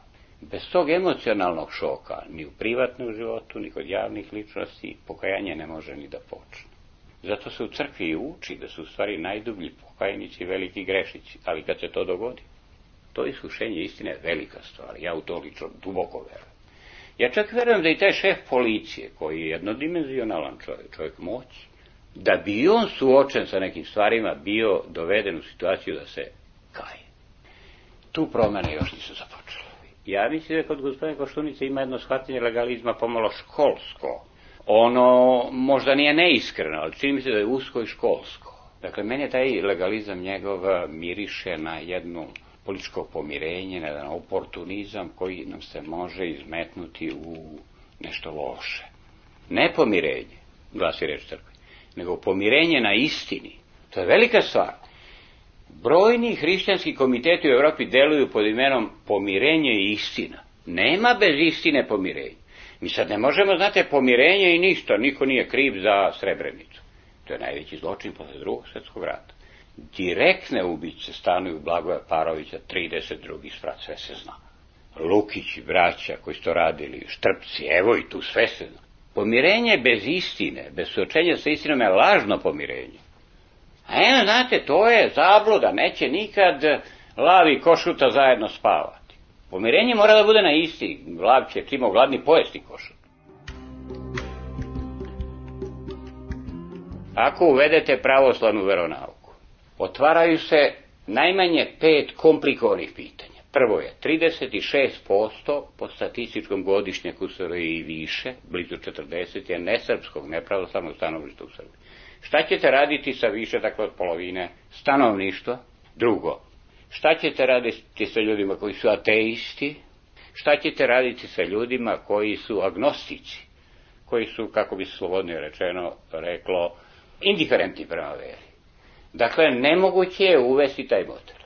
Bez tog emocionalnog šoka, ni u privatnom životu, ni kod javnih ličnosti, pokajanje ne može ni da počne. Zato se u crkvi i uči da su u stvari najdublji pokajnici i veliki grešnici, ali kad se to dogodi, to iskušenje istine je velika stvar, ja u to lično duboko verujem. Ja čak verujem da i taj šef policije, koji je jednodimenzionalan čovjek, čovjek moći, da bi on suočen sa nekim stvarima bio doveden u situaciju da se kaje. Tu promene još nisu započele. Ja mislim da kod gospodina Koštunice ima jedno shvatanje legalizma pomalo školsko. Ono možda nije neiskreno, ali čini mi se da je usko i školsko. Dakle, meni taj legalizam njegov miriše na jedno političko pomirenje, na jedan oportunizam koji nam se može izmetnuti u nešto loše. Ne pomirenje, glasi reč crkve, nego pomirenje na istini. To je velika stvar. Brojni hrišćanski komiteti u Evropi deluju pod imenom pomirenje i istina. Nema bez istine pomirenja. Mi sad ne možemo, znate, pomirenje i ništa, niko nije kriv za Srebrenicu. To je najveći zločin posle drugog svjetskog rata. Direktne ubice stanuju Blagoja Parovića, trideset drugih sprat, sve se zna. Lukići, braća koji su to radili, Štrpci, evo i tu sve se zna. Pomirenje bez istine, bez suočenja sa istinom je lažno pomirenje. A evo, znate, to je zabluda, neće nikad lav i košuta zajedno spavati. Pomirenje mora da bude na isti, lav će čimo gladni pojesti košut. Ako uvedete pravoslavnu veronauku, otvaraju se najmanje pet komplikovanih pitanja. Prvo je trideset šest posto po statističkom godišnjaku u Srbiji i više, blizu četrdeset je nesrpskog, nepravoslavnog stanovništva u Srbiji. Šta ćete raditi sa više, dakle, od polovine stanovništva? Drugo, šta ćete raditi sa ljudima koji su ateisti? Šta ćete raditi sa ljudima koji su agnostici? Koji su, kako bi se slobodnije rečeno, reklo, indiferentni prema veri. Dakle, nemoguće je uvesti taj model.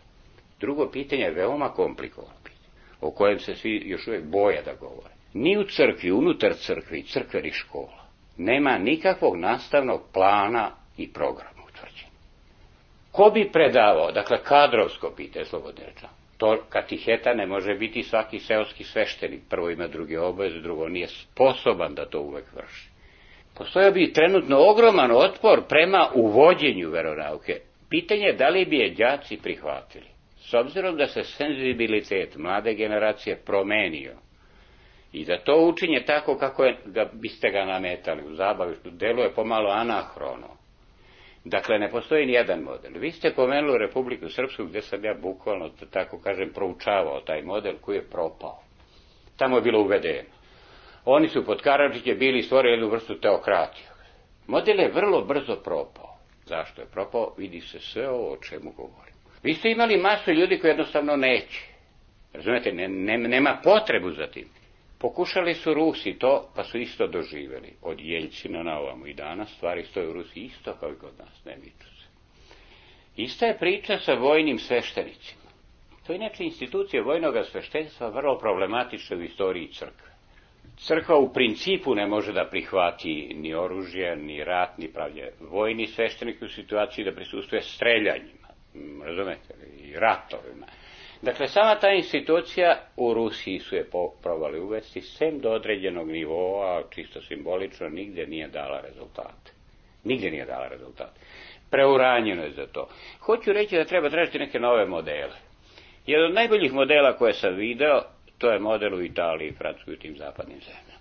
Drugo pitanje je veoma komplikovano pitanje, o kojem se svi još uvijek boje da govore. Ni u crkvi, unutar crkvi i crkvenih škola nema nikakvog nastavnog plana i programa utvrđenja. Ko bi predavao, dakle kadrovsko pitanje, slobodno rečeno, to katiheta ne može biti svaki seoski sveštenik, prvo ima druge obaveze, drugo nije sposoban da to uvek vrši. Postojao bi trenutno ogroman otpor prema uvođenju veronauke. Pitanje je da li bi je đaci prihvatili. S obzirom da se senzibilitet mlade generacije promenio i da to učinje tako kako je, ga, biste ga nametali u zabavištu, deluje pomalo anahrono. Dakle, ne postoji ni jedan model. Vi ste pomenuli Republiku Srpsku, gde sam ja bukvalno, tako kažem, proučavao taj model koji je propao. Tamo je bilo uvedeno. Oni su pod Karadžićem bili stvorili jednu vrstu teokratije. Model je vrlo brzo propao. Zašto je propao? Vidi se sve ovo o čemu govorim. Vi ste imali masu ljudi koji jednostavno neće. Razumete, ne, ne, nema potrebu za tim. Pokušali su Rusi to, pa su isto doživjeli. Od Jeljcina na ovamo i danas stvari stoje u Rusiji isto kao i kod nas, ne miču se. Ista je priča sa vojnim sveštenicima. To je inače institucija vojnog sveštenstva vrlo problematična u istoriji crkve. Crkva u principu ne može da prihvati ni oružje, ni rat, ni pravlje. Vojni sveštenik u situaciji da prisustuje streljanjima, razumete, i ratovima. Dakle, sama ta institucija u Rusiji su je probali uvesti, sem do određenog nivoa, čisto simbolično, nigdje nije dala rezultate. Nigdje nije dala rezultate. Preuranjeno je za to. Hoću reći da treba tražiti neke nove modele. Jedan od najboljih modela koje sam video, to je model u Italiji, Francuskoj i tim zapadnim zemljama.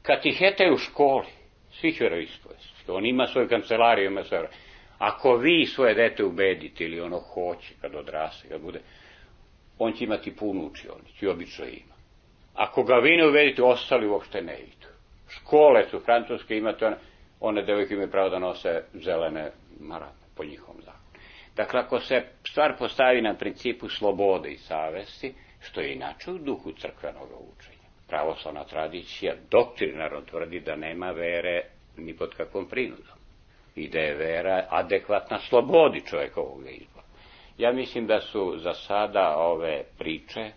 Katihete u školi, svih veroispovesti. On ima svoju kancelariju, ima svoje. Ako vi svoje dete ubedite ili ono hoće kad odraste, kad bude, on će imati punu učionicu i obično ima. Ako ga vi ne ubedite, ostali uopšte ne idu. Škole su francuske, imate one, one devojke imaju pravo da nose zelene marame po njihovom zakonu. Dakle, ako se stvar postavi na principu slobode i savesti, što je inače u duhu crkvenog učenja. Pravoslavna tradicija doktrinarno tvrdi da nema vere ni pod kakvom prinudom. I da je vera adekvatna slobodi čovjekovog izbora. Ja mislim da su za sada ove priče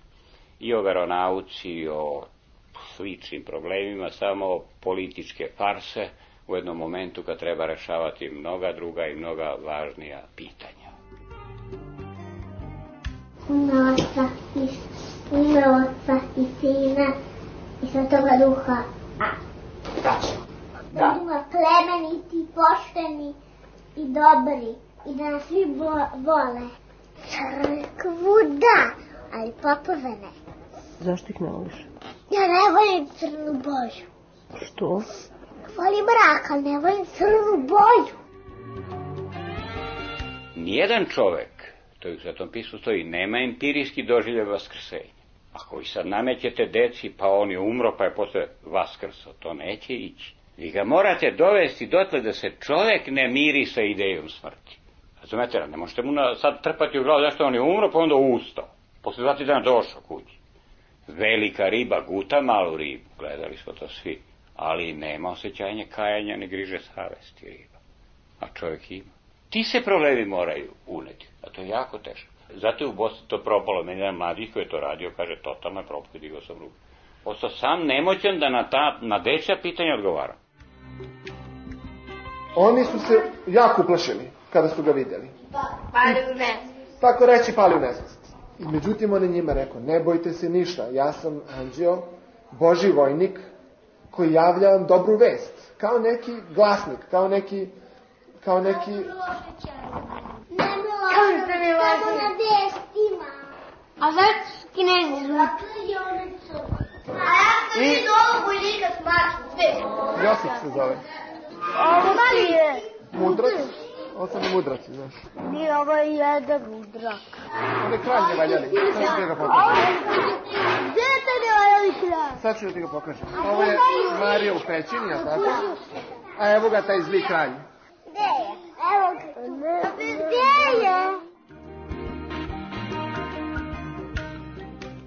i o veronauci i o sličnim problemima samo političke farse u jednom momentu kad treba rešavati mnoga druga i mnoga važnija pitanja. Ima oca i, ima oca i sina i Svetoga Duha. A, tačno. Da. Duha plemeniti, pošteni i dobri i da nas svi vole. Crkvu da, ali popove ne. Zašto ih ne voliš? Ja ne volim crnu boju. Što? Volim mrak, ali ne volim crnu boju. Nijedan čovek, to je u Svetom pismu stoji, nema empirijski doživljaj vaskrsenja. Ako vi sad namećete deci, pa on je umro, pa je posle vaskrso, to neće ići. Vi ga morate dovesti dotle da se čovek ne miri sa idejom smrti. Razumete, ne možete mu sad trpati u glavu zašto on je umro, pa onda ustao. Posle dva, tri dana došao kući. Velika riba guta malu ribu, gledali smo to svi, ali nema osjećanja kajanja, ne griže savesti riba. A čovjek ima. Ti se problemi moraju uneti, a to je jako teško. Zato je u Bosni to propalo, meni jedan mladih koji je to radio, kaže, totalno je propao, digao sam ruku. Ostao sam nemoćan da na, ta, na dečja pitanja odgovara. Oni su se jako uplašili kada su ga vidjeli. Pali u nesvest. Tako reći, pali u nesvest. I međutim, on je njima rekao, ne bojte se ništa, ja sam anđeo, Božji vojnik, koji javlja vam dobru vest. Kao neki glasnik, kao neki... Kao neki... Ne bilo, samo na vestima. A zašto Kinezi zvuči? A ja sam vidio ovog vojnika s maršom, sve. Josip se zove. Ovo ti je... Mudrac? Ovo sam i mudraci, znaš. Nije, ovo je jedan mudrak. On je kralj ne valjali, sad ću ti ga pokažem. Gdje je to ne valjali kralj? Sad ću ti ga pokažem. Ovo je Marija u pećini, a tako? A evo ga taj zli kralj. Gdje je? Evo ga. Gdje je?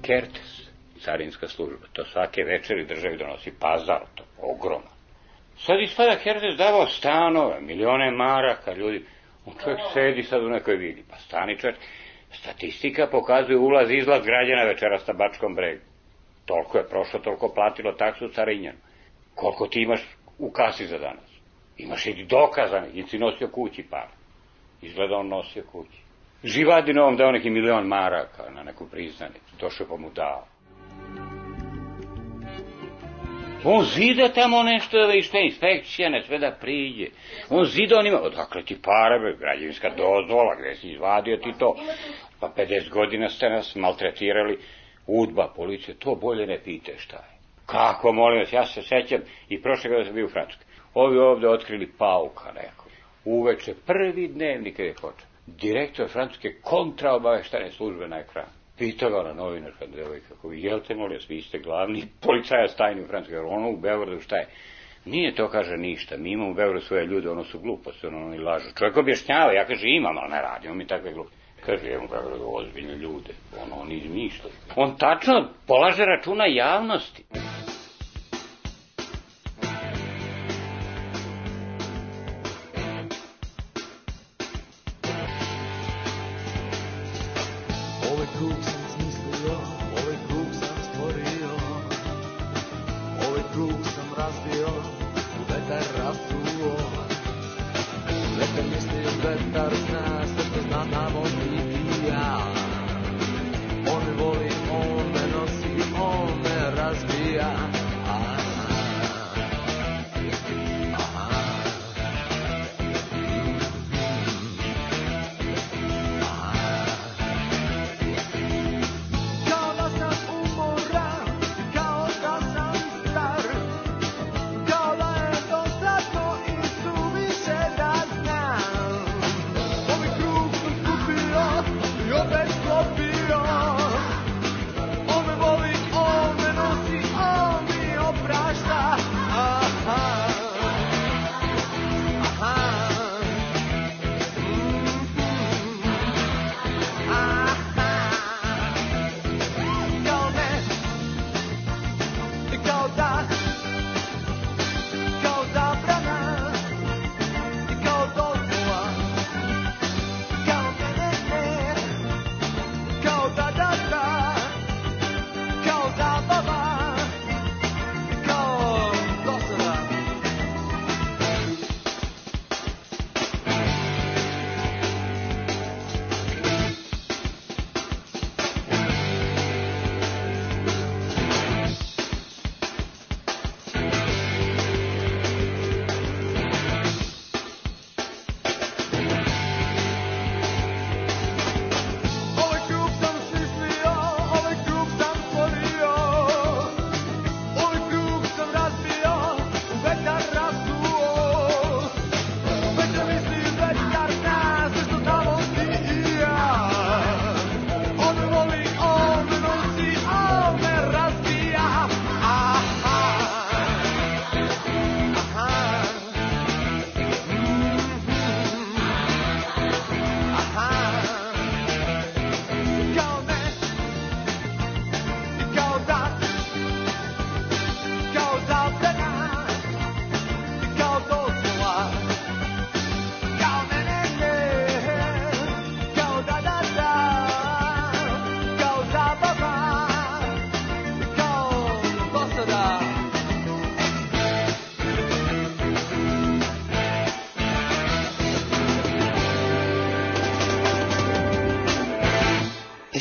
Kertes, carinska služba, to svake večeri državi donosi pazar, to ogromno. Sad ispada Kertes davao stanove, milione maraka, ljudi, on čovjek sedi sad u nekoj vili, pa stani čovjek. Statistika pokazuje ulaz i izlaz građana večeras na Bačkom bregu. Toliko je prošlo, toliko platilo taksu carinjanu. Koliko ti imaš u kasi za danas? Imaš i dokazanih, i si nosio kući par. Izgleda on nosio kući. Živadinovom dao neki milion maraka na neku priznanicu, došao pa mu dao. On zida tamo nešto, i što je inspekcija, ne sve da priđe. On zida, on ima, odakle ti pare, građevinska dozvola, gde si izvadio ti to. Pa pedeset godina ste nas maltretirali, udba, policija, to bolje ne pite šta je. Kako, molim vas, ja se sećam, i prošle godine sam bio u Francuskoj. Ovi ovde otkrili pauka neko. Uveče, prvi dnevnik kada je počeo. Direktor francuske kontraobaveštane službe na ekranu. Pitao ga ona novinarka devojka, kako vi jelte, molim vas, vi ste glavni policajac tajni u Francuskoj, jer ono u Beogradu šta je? Nije to, kaže, ništa, mi imamo u Beogradu svoje ljude, ono su gluposti, ono oni lažu. Čovjek objašnjava, ja kaže, imam, ali ne radimo mi takve gluposti. Kaže, imamo u Beogradu ozbiljne ljude, ono oni izmišljaju. On tačno polaže računa javnosti. Kao zabrana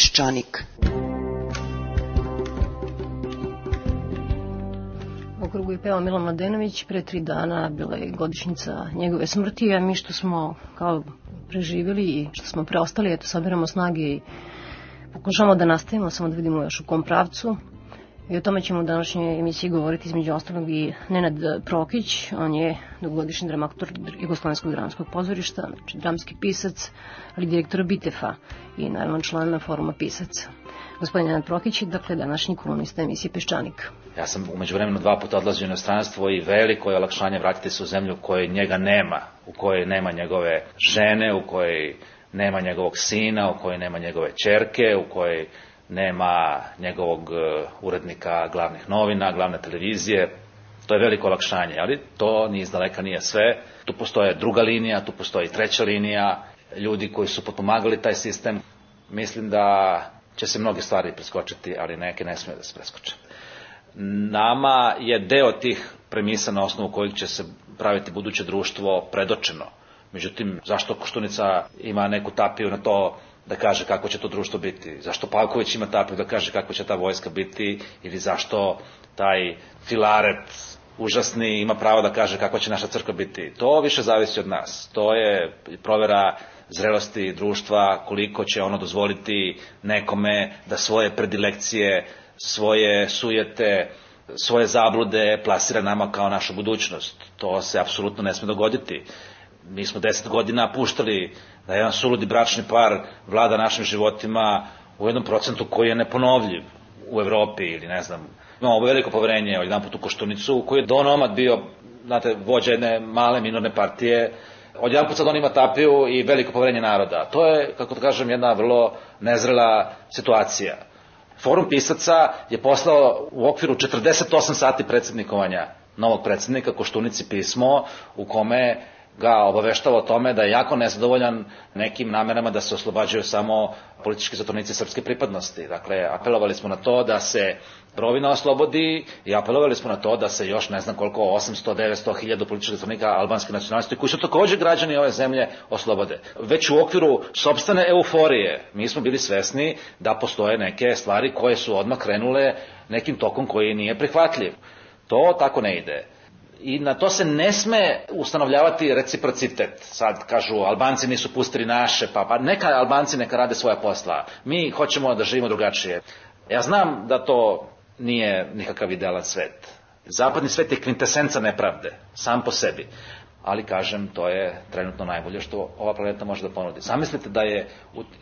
Peščanik. U krugu je pevao Milan Mladenović, pre tri dana bila je godišnjica njegove smrti, a mi što smo kao preživjeli i što smo preostali, eto, sabiramo snage i pokušamo da nastavimo, samo da vidimo još u kom pravcu. I o tome ćemo u današnjoj emisiji govoriti između ostalog i Nenad Prokić, on je dugogodišnji dramaturg Jugoslovenskog dramskog pozorišta, znači dramski pisac, ali direktor Bitefa i naravno član foruma pisaca. Gospodin Nenad Prokić je dakle današnji kolumnista emisije Peščanik. Ja sam umeđu vremenu dva puta odlazio u inostranstvo i veliko je olakšanje vratiti se u zemlju u kojoj njega nema, u kojoj nema njegove žene, u kojoj nema njegovog sina, u kojoj nema njegove ćerke, u kojoj nema njegovog urednika glavnih novina, glavne televizije. To je veliko olakšanje, ali to ni izdaleka nije sve. Tu postoje druga linija, tu postoji treća linija, ljudi koji su potpomagali taj sistem. Mislim da će se mnoge stvari preskočiti, ali neke ne smije da se preskoče. Nama je deo tih premisa na osnovu kojih će se praviti buduće društvo predočeno. Međutim, zašto Koštunica ima neku tapiju na to da kaže kako će to društvo biti? Zašto Pavković ima tapiju da kaže kako će ta vojska biti? Ili zašto taj Filaret užasni ima pravo da kaže kako će naša crkva biti? To više zavisi od nas. To je provera zrelosti društva, koliko će ono dozvoliti nekome da svoje predilekcije, svoje sujete, svoje zablude plasira nama kao našu budućnost. To se apsolutno ne sme dogoditi. Mi smo deset godina puštali da jedan suludi bračni par vlada našim životima u jednom procentu koji je neponovljiv u Evropi ili ne znam. Imamo veliko poverenje od jedan put u Koštunicu koji je donomad bio, znate, vođa jedne male minorne partije. Od jedan put sad on ima tapiju i veliko poverenje naroda. To je, kako da kažem, jedna vrlo nezrela situacija. Forum pisaca je poslao u okviru četrdeset osam sati predsjednikovanja novog predsjednika Koštunici pismo u kome ga obaveštava o tome da je jako nezadovoljan nekim namerama da se oslobađaju samo politički zatvorenici srpske pripadnosti. Dakle, apelovali smo na to da se Rovina oslobodi i apelovali smo na to da se još ne znam koliko, osamsto, devetsto, hiljadu političkih zatvornika albanske nacionalnosti, koji su također građani ove zemlje, oslobode. Već u okviru sopstvene euforije mi smo bili svesni da postoje neke stvari koje su odmah krenule nekim tokom koji nije prihvatljiv. To tako ne ide. I na to se ne sme ustanovljavati reciprocitet. Sad kažu, Albanci nisu pustili naše, pa, pa neka Albanci neka rade svoja posla. Mi hoćemo da živimo drugačije. Ja znam da to nije nikakav idealan svet. Zapadni svet je kvintesenca nepravde, sam po sebi. Ali, kažem, to je trenutno najbolje što ova planeta može da ponudi. Zamislite da je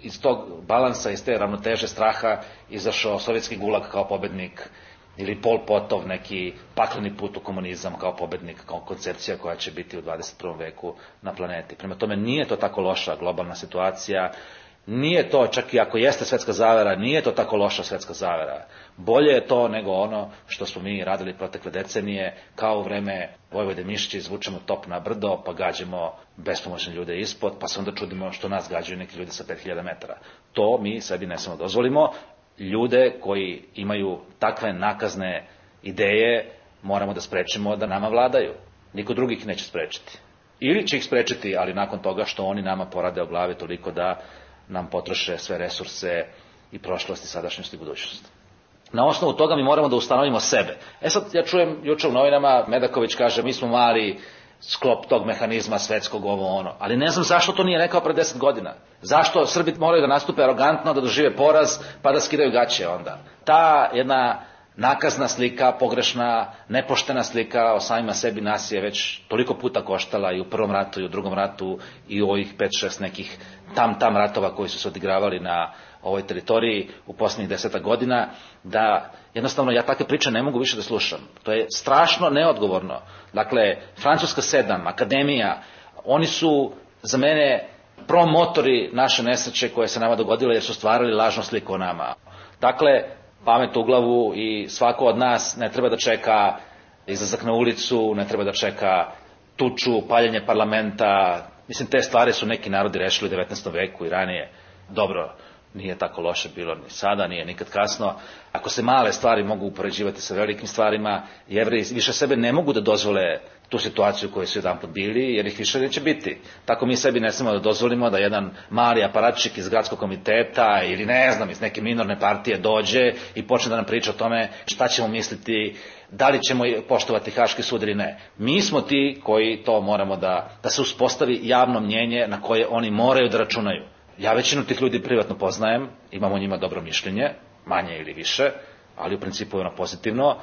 iz tog balansa, iz te ravnoteže straha izašao sovjetski gulag kao pobednik, ili Pol Potov, neki pakleni put u komunizam kao pobednik, kao koncepcija koja će biti u dvadeset prvom veku na planeti. Prema tome, nije to tako loša globalna situacija, nije to, čak i ako jeste svetska zavera, nije to tako loša svetska zavera. Bolje je to nego ono što smo mi radili protekle decenije, kao u vreme Vojvode Mišića, izvučemo top na brdo, pa gađamo bespomoćne ljude ispod, pa se onda čudimo što nas gađaju neki ljudi sa pet hiljada metara. To mi sebi ne samo dozvolimo. Ljude koji imaju takve nakazne ideje moramo da sprečimo da nama vladaju. Niko drugi ih neće sprečiti. Ili će ih sprečiti, ali nakon toga što oni nama porade o glavi toliko da nam potroše sve resurse i prošlost i sadašnjost i budućnost. Na osnovu toga mi moramo da ustanovimo sebe. E sad, ja čujem juče u novinama, Medaković kaže, mi smo mali sklop tog mehanizma svetskog, ovo ono. Ali ne znam zašto to nije rekao pre deset godina. Zašto Srbi moraju da nastupe arogantno, da dožive poraz, pa da skidaju gaće onda. Ta jedna nakazna slika, pogrešna, nepoštena slika o samima sebi nas je već toliko puta koštala i u prvom ratu i u drugom ratu i u ovih pet šest nekih tam-tam ratova koji su se odigravali na ovoj teritoriji u posljednjih deseta godina, da jednostavno ja takve priče ne mogu više da slušam. To je strašno neodgovorno. Dakle, Francuska sedam, Akademija, oni su za mene promotori naše nesreće koje se nama dogodile jer su stvarali lažnu sliku o nama. Dakle, pamet u glavu i svako od nas ne treba da čeka izlazak na ulicu, ne treba da čeka tuču, paljenje parlamenta. Mislim, te stvari su neki narodi rešili u devetnaestom veku i ranije. Dobro, Nije tako loše bilo ni sada, nije nikad kasno. Ako se male stvari mogu upoređivati sa velikim stvarima, Jevreji više sebe ne mogu da dozvole tu situaciju u kojoj su jedanput bili, jer ih više neće biti. Tako mi sebi ne smemo da dozvolimo da jedan mali aparatčik iz gradskog komiteta ili ne znam, iz neke minorne partije dođe i počne da nam priča o tome šta ćemo misliti, da li ćemo poštovati Haški sud ili ne. Mi smo ti koji to moramo da, da se uspostavi javno mnjenje na koje oni moraju da računaju. Ja većinu tih ljudi privatno poznajem, imam o njima dobro mišljenje, manje ili više, ali u principu je ono pozitivno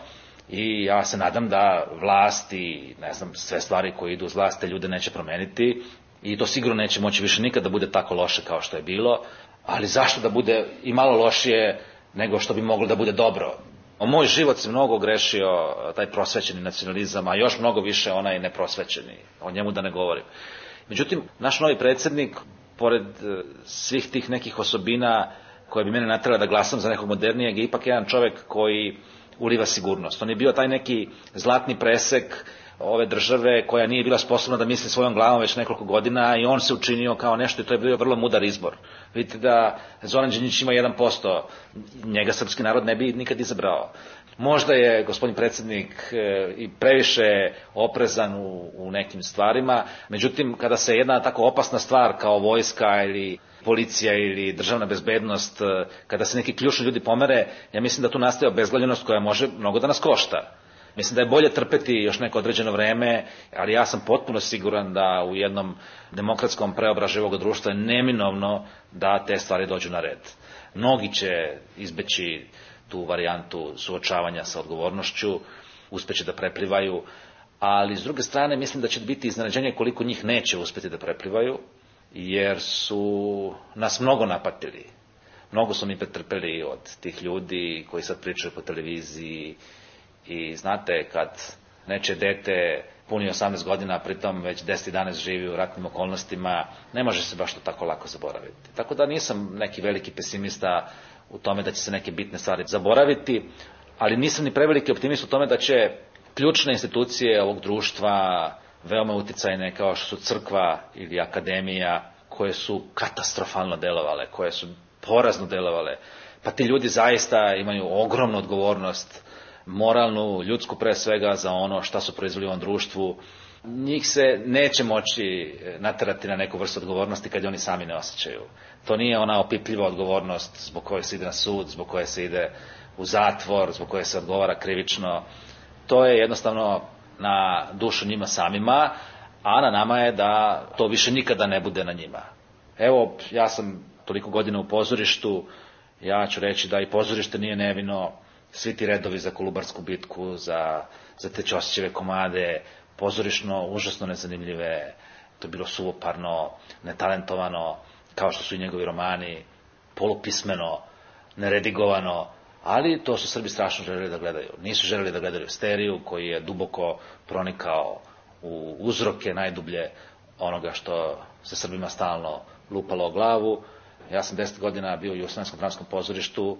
i ja se nadam da vlast i ne znam, sve stvari koje idu uz vlast te ljude neće promeniti i to sigurno neće moći više nikad da bude tako loše kao što je bilo, ali zašto da bude i malo lošije nego što bi moglo da bude dobro? O moj život se mnogo grešio taj prosvećeni nacionalizam, a još mnogo više onaj neprosvećeni, o njemu da ne govorim. Međutim, naš novi predsjednik, pored svih tih nekih osobina koje bi mene naterala da glasam za nekog modernijeg, je ipak jedan čovjek koji uliva sigurnost. On je bio taj neki zlatni presek ove države koja nije bila sposobna da misli svojom glavom već nekoliko godina i on se učinio kao nešto i to je bio vrlo mudar izbor. Vidite da Zoran Đinđić ima jedan posto, njega srpski narod ne bi nikad izabrao. Možda je gospodin predsjednik i previše oprezan u, u nekim stvarima, međutim kada se jedna tako opasna stvar kao vojska ili policija ili državna bezbednost, kada se neki ključni ljudi pomere, ja mislim da tu nastaje obezglavljenost koja može mnogo da nas košta. Mislim da je bolje trpeti još neko određeno vreme, ali ja sam potpuno siguran da u jednom demokratskom preobražaju ovog društva je neminovno da te stvari dođu na red. Mnogi će izbeći tu varijantu suočavanja sa odgovornošću, uspeće da preplivaju, ali s druge strane mislim da će biti iznenađenje koliko njih neće uspeti da preplivaju, jer su nas mnogo napatili. Mnogo su mi pretrpeli od tih ljudi koji sad pričaju po televiziji i znate kad neče dete puni osamnaest godina, pritom već deset jedanaest živi u ratnim okolnostima, ne može se baš to tako lako zaboraviti. Tako da nisam neki veliki pesimista u tome da će se neke bitne stvari zaboraviti, ali nisam ni preveliki optimist u tome da će ključne institucije ovog društva, veoma uticajne kao što su crkva ili akademija, koje su katastrofalno delovale, koje su porazno delovale, pa ti ljudi zaista imaju ogromnu odgovornost, moralnu, ljudsku pre svega, za ono šta su proizveli u ovom društvu. Njih se neće moći naterati na neku vrstu odgovornosti kad oni sami ne osjećaju. To nije ona opipljiva odgovornost zbog koje se ide na sud, zbog koje se ide u zatvor, zbog koje se odgovara krivično. To je jednostavno na dušu njima samima, a na nama je da to više nikada ne bude na njima. Evo, ja sam toliko godina u pozorištu, ja ću reći da i pozorište nije nevino, svi ti redovi za Kolubarsku bitku, za, za te Ćosićeve komade, pozorišno, užasno nezanimljive, to je bilo suvoparno, netalentovano, kao što su i njegovi romani, polupismeno, neredigovano, ali to su Srbi strašno želeli da gledaju. Nisu želeli da gledaju Steriju, koji je duboko pronikao u uzroke najdublje onoga što se Srbima stalno lupalo o glavu. Ja sam deset godina bio u Jugoslavenskom dramskom pozorištu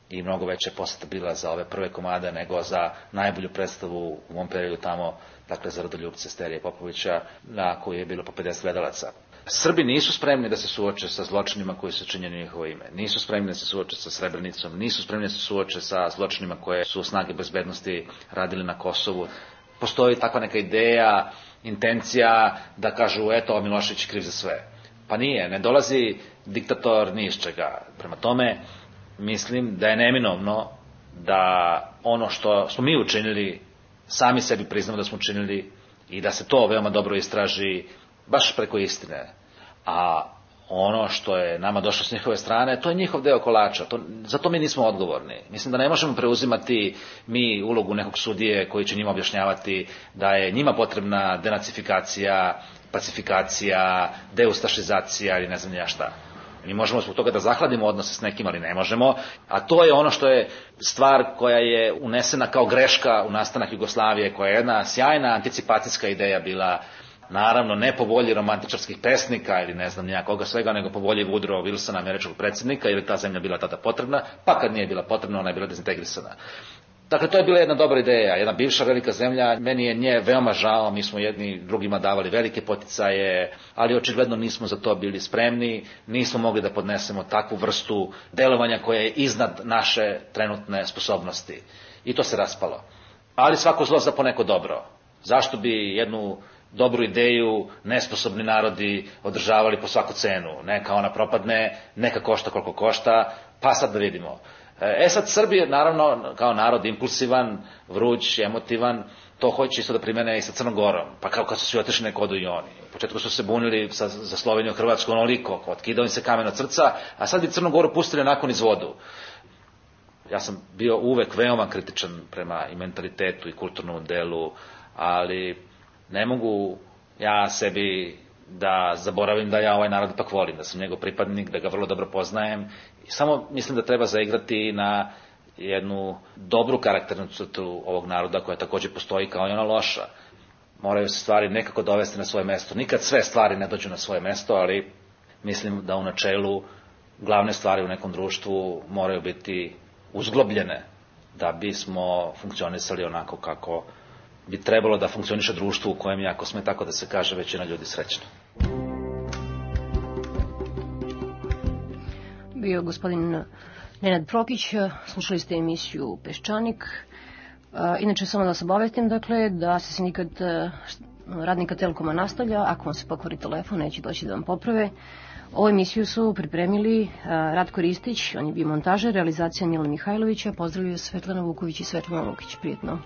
i mnogo veća poseta bila za ove prve komade nego za najbolju predstavu u mom periodu tamo, dakle za Rodoljupce Sterije Popovića, na koju je bilo po pedeset gledalaca. Srbi nisu spremni da se suoče sa zločinima koji su činjeni u njihovo ime. Nisu spremni da se suoče sa Srebrenicom, nisu spremni da se suoče sa zločinima koje su snage bezbednosti radili na Kosovu. Postoji takva neka ideja, intencija da kažu eto Milošević kriv za sve. Pa nije, ne dolazi diktator ni iz čega. Prema tome, mislim da je neminovno da ono što smo mi učinili, sami sebi priznamo da smo učinili i da se to veoma dobro istraži baš preko istine. A ono što je nama došlo s njihove strane, to je njihov deo kolača. To, zato mi nismo odgovorni. Mislim da ne možemo preuzimati mi ulogu nekog sudije koji će njima objašnjavati da je njima potrebna denacifikacija, pacifikacija, deustašizacija ili ne znam ja šta. Mi možemo zbog toga da zahladimo odnose s nekim, ali ne možemo. A to je ono što je stvar koja je unesena kao greška u nastanak Jugoslavije, koja je jedna sjajna anticipacijska ideja bila, naravno ne po volji romantičarskih pesnika ili ne znam nijakoga svega, nego po volji Woodrow Wilsona, američkog predsjednika, jer je ta zemlja bila tada potrebna, pa kad nije bila potrebna, ona je bila dezintegrisana. Dakle, to je bila jedna dobra ideja, jedna bivša velika zemlja, meni je nje veoma žao, mi smo jedni drugima davali velike poticaje, ali očigledno nismo za to bili spremni, nismo mogli da podnesemo takvu vrstu delovanja koja je iznad naše trenutne sposobnosti. I to se raspalo. Ali svako zlo za poneko dobro. Zašto bi jednu dobru ideju nesposobni narodi održavali po svaku cenu? Neka ona propadne, neka košta koliko košta, pa sad da vidimo. E sad, Srbija, naravno, kao narod impulsivan, vruć, emotivan, to hoće isto da primene i sa Crnom Gorom. Pa kao kad su svi otišli neko odu i oni. U početku su se bunili sa, za Sloveniju i Hrvatsku onoliko, otkidao im se kamen od srca, a sad bi Crnu Goru pustili nakon iz vodu. Ja sam bio uvek veoma kritičan prema i mentalitetu i kulturnom delu, ali ne mogu ja sebi da zaboravim da ja ovaj narod ipak volim, da sam njegov pripadnik, da ga vrlo dobro poznajem. I samo mislim da treba zaigrati na jednu dobru karakternu crtu ovog naroda koja takođe postoji kao i ona loša. Moraju se stvari nekako dovesti na svoje mesto. Nikad sve stvari ne dođu na svoje mesto, ali mislim da u načelu glavne stvari u nekom društvu moraju biti uzglobljene da bismo funkcionisali onako kako bi trebalo da funkcioniše društvo u kojem je, ako sme tako da se kaže, većina ljudi srećna. Bio gospodin Nenad Prokić, slušali ste emisiju Peščanik. Inače, samo da se obavestim, dakle, da se sindikat radnika Telekoma nastavlja. Ako vam se pokvari telefon, neće doći da vam poprave. Ovu emisiju su pripremili Ratko Ristić, on je bio montažer, realizacija Mila Mihajlovića, pozdravljaju Svetlana Vuković i Svetlana Lukić. Prijetno.